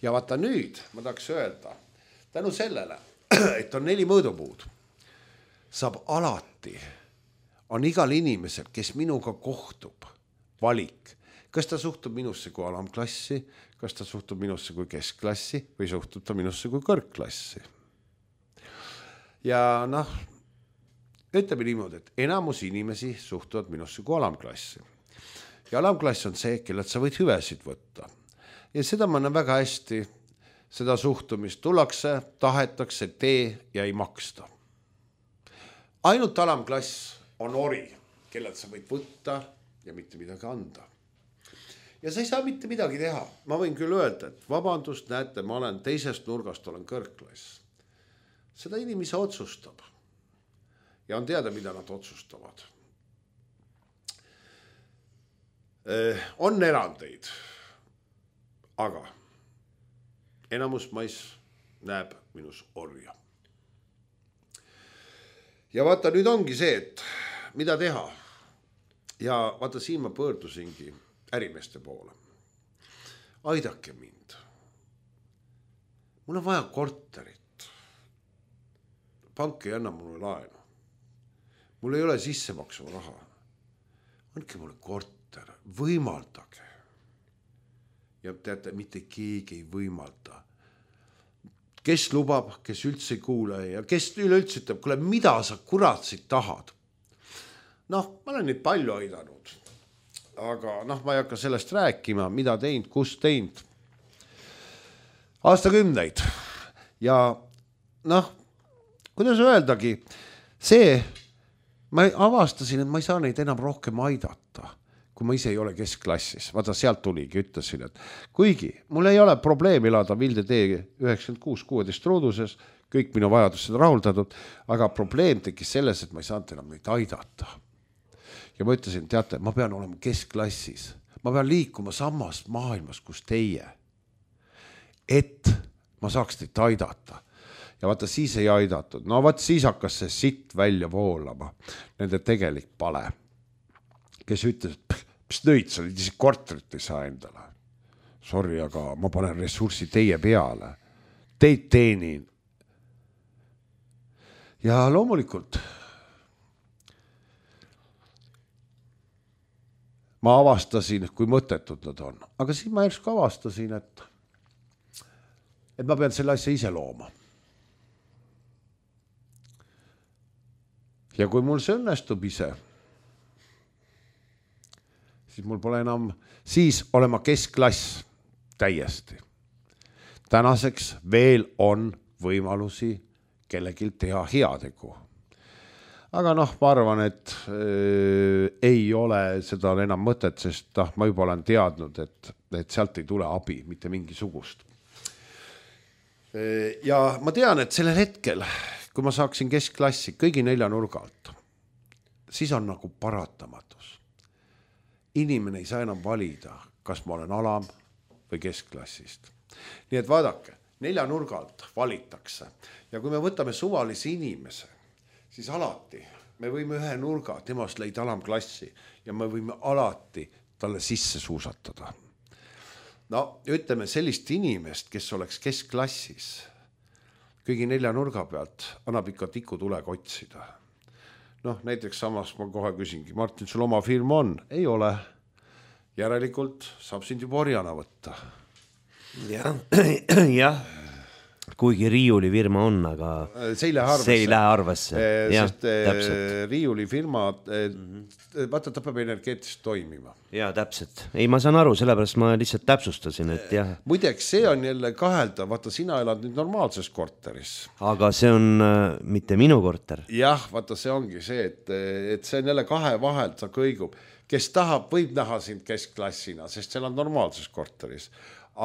Ja vaata nüüd, ma tahaks öelda, tänu sellele, et on 4 mõõdupuud, saab alati, on igal inimesel, kes minuga kohtub, valik. Kas ta suhtub minusse kui alamklassi, kas ta suhtub minusse kui keskklassi või suhtub ta minusse kui kõrgklassi. Ja ütleme niimoodi, et enamus inimesi suhtuvad minusse kui alamklassi. Ja alamklass on see, kellelt sa võid hüvesid võtta. Ja seda ma näen väga hästi, seda suhtumist tullakse, tahetakse, tee ja ei maksta. Ainult alamklass on ori, kellelt sa võid võtta ja mitte midagi anda. Ja sa ei saa mitte midagi teha. Ma võin küll öelda, et vabandust, näete, ma olen teisest nurgast, olen kõrgklass. Seda inimese otsustab. Ja on teada, mida nad otsustavad. On erandeid, aga enamus mais näeb minus orja. Ja vaata, nüüd ongi see, et mida teha. Ja vaata, siin ma pöördusingi ärimeeste poole. Aidake mind. Mul on vaja korterit. Pank ei anna mulle laenu. Mul ei ole sissemaksu raha. Andke mulle korter, võimaldage. Ja teate, mitte keegi ei võimalda. Kes lubab, kes üldse ei kuule ja kes üleüldse ütleb, kuule, mida sa kuratsid tahad? Ma olen neid palju aidanud. Aga ma ei hakka sellest rääkima, mida teinud, kus teinud. Aastakümneid. Ja kuidas öeldagi, see, ma avastasin, et ma ei saa neid enam rohkem aidata, kui ma ise ei ole keskklassis. Vaata, sealt tuligi, ütlesin, et kuigi mul ei ole probleem elada Vilde tee 96 16 ruuduses, kõik minu vajadused rahuldatud, aga probleem tekkis selles, et ma ei saanud enam neid aidata. Ja ma ütlesin, teate, ma pean olema keskklassis. Ma pean liikuma samast maailmas, kus teie. Et ma saaks teid aidata. Ja vaata, siis ei aidatud. Vaat siis hakkas see sitt välja voolama. Nende tegelik pale. Kes ütles, mis nõid, sa olid isi korterit ei saa endale. Sorry, aga ma panen ressurssi teie peale. Teid teenin. Ja loomulikult ma avastasin, kui mõttetud nad on. Aga siis ma järsku avastasin, et ma pean selle asja ise looma. Ja kui mul see õnnestub ise, siis mul pole enam, siis olema keskklass täiesti. Tänaseks veel on võimalusi kellelgi teha heategu. Aga ma arvan, et ei ole seda enam mõtet, sest ma juba olen teadnud, et sealt ei tule abi, mitte mingisugust. Ja ma tean, et sellel hetkel, kui ma saaksin keskklassi kõigi 4 nurga alt, siis on nagu paratamatus. Inimene ei saa enam valida, kas ma olen alam või keskklassist. Nii et vaadake, 4 nurga alt valitakse. Ja kui me võtame suvalise inimese, siis alati me võime ühe nurga, temast leida alamklassi ja me võime alati talle sisse suusatada. No ütleme sellist inimest, kes oleks keskklassis, kõigi 4 nurga pealt annab ikka tikutulega otsida. Noh, näiteks samas ma kohe küsingi, Martin, sul oma firma on? Ei ole. Järelikult saab sind juba orjana võtta. Jah. Kuigi riiulifirma on, aga see ei lähe arvesse. Sest riiulifirma, vaata, ta peab energeetiliselt toimima. Jaa, täpselt. Ei, ma saan aru, sellepärast ma lihtsalt täpsustasin, et jah. Muideks, see on jälle kahelda, vaata, sina elad nüüd normaalses korteris. Aga see on mitte minu korter. Jah, vaata, see ongi see, et see on jälle kahe vahelt, sa kõigub. Kes tahab, võib näha sind keskklassina, sest seal on normaalses korteris.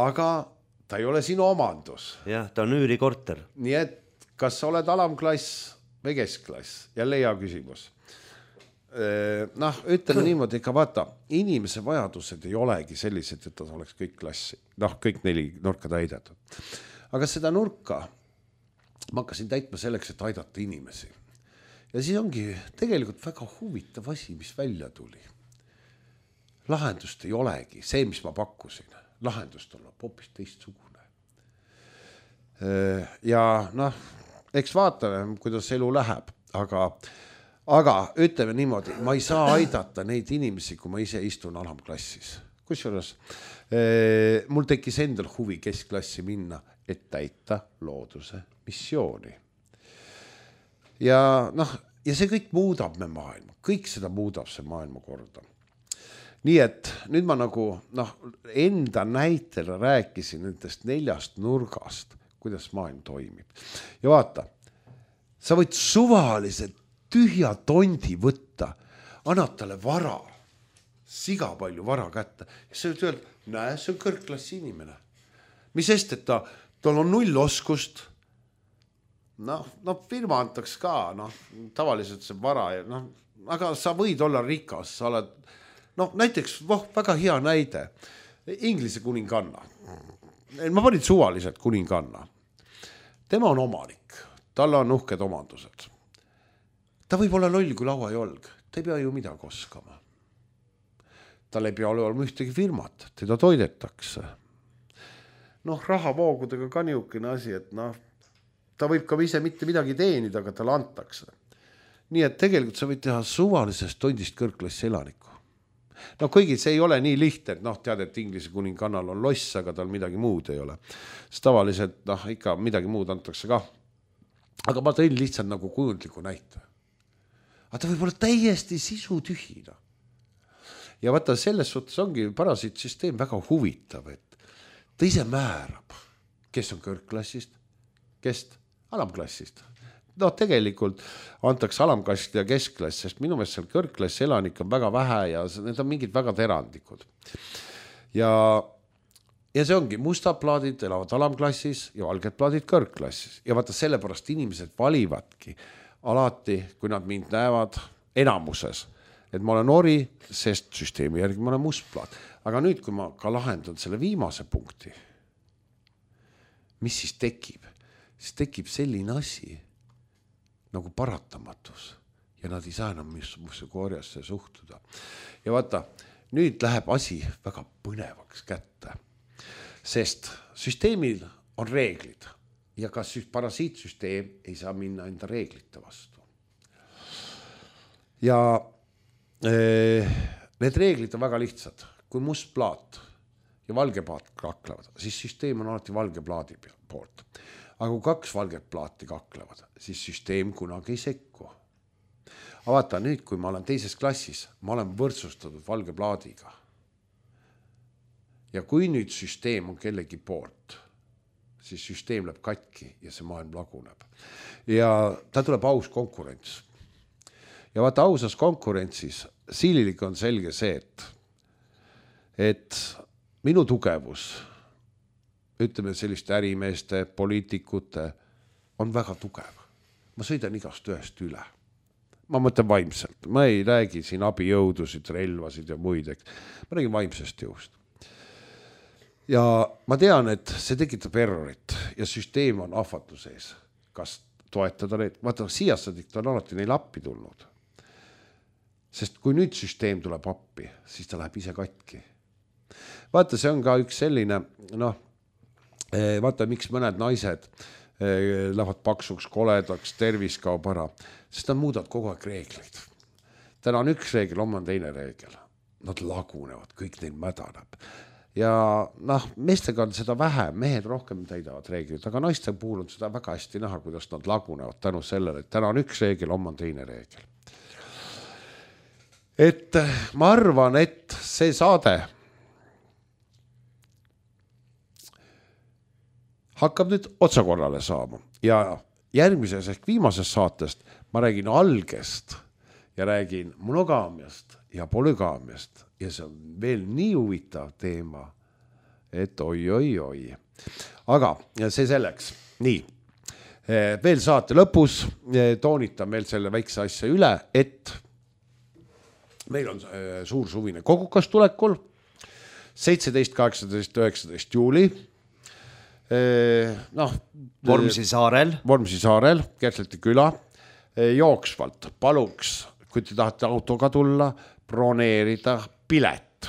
Aga ta ei ole sinu omandus. Jah, ta on üürikorter. Nii et kas sa oled alamklass või keskklass? Jälle hea küsimus. Noh, ütleme niimoodi, ikka vaata, inimese vajadused ei olegi sellised, et ta oleks kõik klassi. Noh, kõik 4 nurka täidetud. Aga seda nurka ma hakkasin täitma selleks, et aidata inimesi. Ja siis ongi tegelikult väga huvitav asi, mis välja tuli. Lahendust ei olegi, see, mis ma pakkusin. Lahendust on hoopis teistsugune. Ja noh, eks vaatame, kuidas elu läheb, aga ütleme niimoodi, ma ei saa aidata neid inimesi, kui ma ise istun alamklassis. Kusjuures mul tekkis endal huvi keskklassi minna, et täita looduse missiooni. Ja noh, ja see kõik muudab me maailma, kõik seda muudab see maailma korda. Nii et nüüd ma nagu enda näitel rääkisin nendest 4 nurgast, kuidas maailm toimib. Ja vaata, sa võid suvaliselt tühja tondi võtta, annad talle vara, siga palju vara kätte ja sa võid öelda, näe, see on kõrgklassi inimene. Mis sest, et tal on 0 oskust, firma antaks ka, tavaliselt see vara, aga sa võid olla rikas, sa oled näiteks, väga hea näide, Inglise kuninganna. Ma panin suvaliselt kuninganna. Tema on omanik, tal on uhked omandused. Ta võib olla loll kui lauajolg, ta ei pea ju midagi oskama. Tal ei pea olema ühtegi firmat, teda toidetakse. Rahavoogudega ka niukene asi, et ta võib ka ise mitte midagi teenida, aga talle antakse. Nii et tegelikult sa võid teha suvalisest tondist kõrgklassi elaniku. Kuigi see ei ole nii lihtne, et tead, et Inglise kuningannal on loss, aga tal midagi muud ei ole. Sest tavaliselt ikka midagi muud antakse ka. Aga ma tõin lihtsalt nagu kujundliku näite. Aga ta võib olla täiesti sisutühina. Ja vaata, selles suhtes ongi parasiitsüsteem väga huvitav, et ta ise määrab, kes on kõrgklassist, kes alamklassist. Tegelikult antakse alamklassist ja keskklass, sest minu meelest seal kõrgklassi elanik on väga vähe ja need on mingid väga terandlikud. Ja see ongi, mustad plaadid elavad alamklassis ja valged plaadid kõrgklassis. Ja vaata, sellepärast inimesed valivadki alati, kui nad mind näevad enamuses, et ma olen ori, sest süsteemi järgi ma olen mustplaat. Aga nüüd, kui ma ka lahendan selle viimase punkti, mis siis tekib? Siis tekib selline asi nagu paratamatus ja nad ei saa enam musse korjasse suhtuda. Ja vaata, nüüd läheb asi väga põnevaks kätte, sest süsteemil on reeglid ja ka parasiitsüsteem ei saa minna enda reeglite vastu. Ja need reeglid on väga lihtsad. Kui must plaat ja valge plaat kaklevad, siis süsteem on alati valge plaadi poolt. Aga kui 2 valget plaati kaklevad, siis süsteem kunagi ei sekku. Aga vaata, nüüd kui ma olen teises klassis, ma olen võrdsustatud valge plaadiga. Ja kui nüüd süsteem on kellegi poolt, siis süsteem läheb katki ja see maailm laguneb. Ja ta tuleb aus konkurents. Ja vaata, ausas konkurentsis sililik on selge see, et minu tugevus, ütleme selliste ärimeeste, poliitikute, on väga tugev. Ma sõidan igast ühest üle. Ma mõtlen vaimselt. Ma ei räägi siin abijõudusid, relvasid ja muid. Ma räägin vaimsest jõust. Ja ma tean, et see tekitab errorit ja süsteem on ahvatluse ees. Kas toetada neid? Vaata, siiasadik on alati neil appi tulnud. sest kui nüüd süsteem tuleb appi, siis ta läheb ise katki. Vaata, see on ka üks selline, noh, vaata, miks mõned naised lähevad paksuks, koledaks, tervis kaob ära, sest nad muudavad kogu aeg reegleid. Täna on üks reegel, homme on teine reegel. Nad lagunevad, kõik neil mädaneb. Ja noh, meestega on seda vähem, mehed rohkem täidavad reeglid, aga naiste puhul on seda väga hästi näha, kuidas nad lagunevad tänu sellele, et täna on üks reegel, homme on teine reegel. Et ma arvan, et see saade hakkab nüüd otsakorrale saama ja järgmises ehk viimases saatest ma räägin algest ja räägin monogaamiast ja polügaamiast ja see on veel nii huvitav teema, et oi. Aga see selleks. Nii, veel saate lõpus toonitan meil selle väikse asja üle, et meil on suur suvine kogukas tulekul 17, 18, 19 juuli. Noh, Vormsi saarel, Kersleti küla, jooksvalt paluks, kui te tahate autoga tulla, broneerida pilet.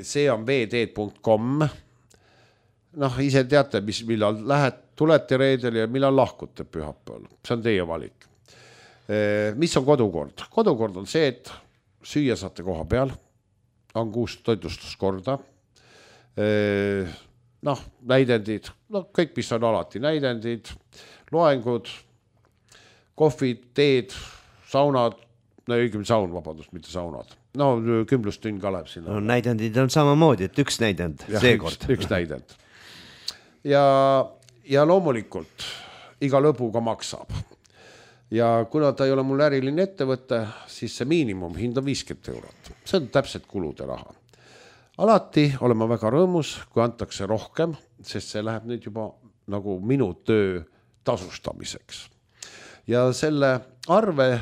See on vd.com. Noh, ise teate, millal tulete reedel ja millal lahkute pühapäeval. See on teie valik. Mis on kodukord? Kodukord on see, et süüa saate koha peal, on 6 toitlustuskorda, noh, näidendid, no kõik, mis on alati, näidendid, loengud, kohvid, teed, saunad, no õigem saun, vabandust, mitte saunad. No kümblustünn ka läheb sinna. No näidendid on samamoodi, et üks näidend, seekord. Üks näidend. Ja loomulikult iga lõbuga maksab. Ja kuna ta ei ole mul äriline ettevõte, siis see miinimumhind on 50 €. See on täpselt kulude raha. Alati olen ma väga rõõmus, kui antakse rohkem, sest see läheb nüüd juba nagu minu töö tasustamiseks. Ja selle arve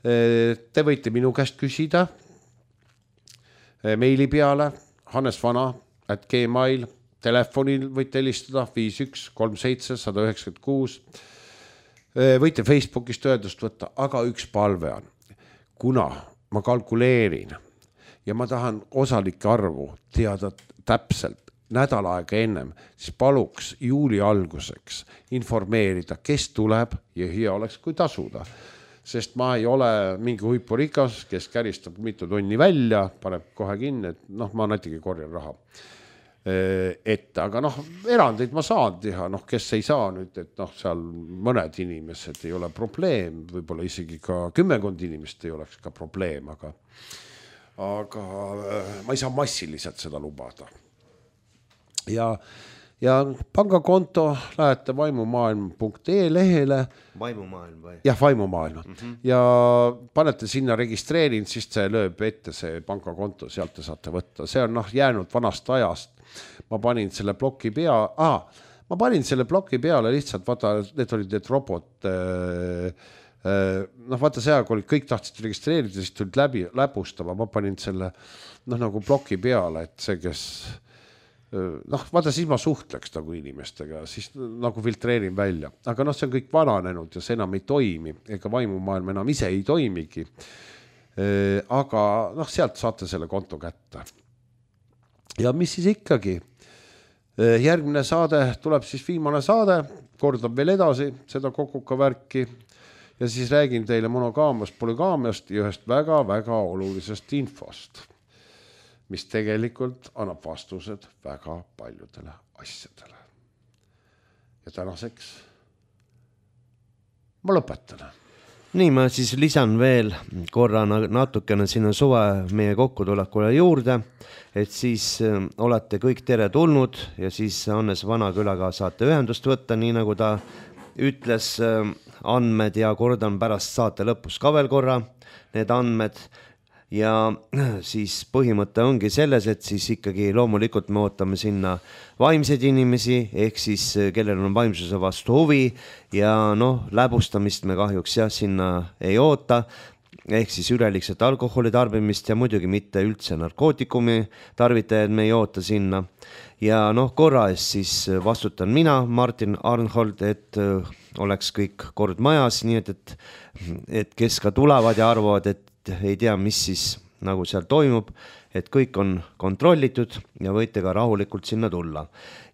te võite minu käest küsida meili peale hannesvana@gmail, telefonil võite helistada 51 37 196. Võite Facebookist ühendust võtta, aga üks palve on, kuna ma kalkuleerin ja ma tahan osalike arvu teada täpselt nädal aega ennem, siis paluks juuli alguseks informeerida, kes tuleb ja hea oleks, kui tasuda. Sest ma ei ole mingi huipurikas, kes käristab mitu tonni välja, paneb kohe kinni, et noh, ma näitegi korjan raha ette, aga noh, erandeid ma saan teha, noh, kes ei saa nüüd, et noh, seal mõned inimesed ei ole probleem, võib-olla isegi ka 10 inimest ei oleks ka probleem, aga ma ei saa massiliselt seda lubada. Ja pangakonto lähete vaimumaailm.ee lehele. Vaimumaailm või? Jah, vaimumaailm. Ja panete sinna registreerin, siis see lööb ette see pangakonto, sealt te saate võtta. See on jäänud vanast ajast. Ma panin selle ploki peale lihtsalt, vaata, need olid need robot, noh, vaata see aeg olid, kõik tahtsid registreerida, siis tulid läbustama, ma panin selle nagu ploki peale, et see, kes noh, vaata, siis ma suhtleks nagu inimestega, siis nagu filtreerin välja, aga see on kõik vananenud ja see enam ei toimi, ega vaimumaailm enam ise ei toimigi, aga sealt saate selle konto kätte. Ja mis siis ikkagi? Järgmine saade tuleb siis viimane saade, kordab veel edasi seda kokuka värki ja siis räägin teile monogaamiast, polügaamiast ja ühest väga-väga olulisest infost, mis tegelikult annab vastused väga paljudele asjadele. Ja tänaseks ma lõpetan. Nii, ma siis lisan veel korra natukene sinna suve meie kokkutulekule juurde, et siis olete kõik tere tulnud ja siis Hannes Vanakülaga saate ühendust võtta, nii nagu ta ütles andmed ja kordan pärast saate lõpus ka veel korra need andmed. Ja siis põhimõte ongi selles, et siis ikkagi loomulikult me ootame sinna vaimseid inimesi, ehk siis kellel on vaimsuse vastu huvi ja läbustamist me kahjuks sinna ei oota. ehk siis üleliigset alkoholi tarbimist ja muidugi mitte üldse narkootikumi tarvitajaid me ei oota sinna. Ja korra eest siis vastutan mina, Martin Arnhold, et oleks kõik kord majas, nii et kes ka tulevad ja arvavad, et ei tea, mis siis nagu seal toimub, et kõik on kontrollitud ja võite ka rahulikult sinna tulla.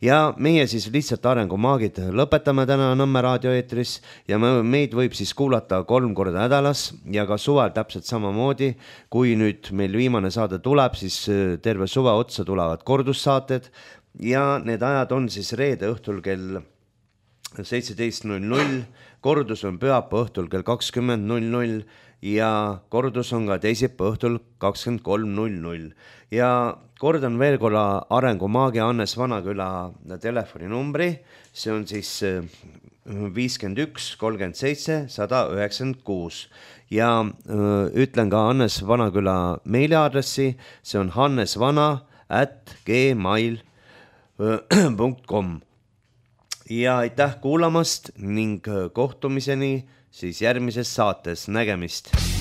Ja meie siis lihtsalt Arengumaagid lõpetame täna Nõmme raadioeetris ja meid võib siis kuulata 3 korda nädalas ja ka suvel täpselt samamoodi. Kui nüüd meil viimane saade tuleb, siis terve suve otsa tulevad kordussaated ja need ajad on siis reede õhtul kell 17.00, kordus on pühapäeva õhtul kell 20.00 ja kordus on ka teisipäeva õhtul 23.00. Ja kordan veel korra Arengumaagi Hannes Vanaküla telefoninumbri, see on siis 51 37 196 ja ütlen ka Hannes Vanaküla meiliaadressi, see on hannesvana@gmail.com. Ja aitäh kuulamast ning kohtumiseni siis järgmises saates, nägemist!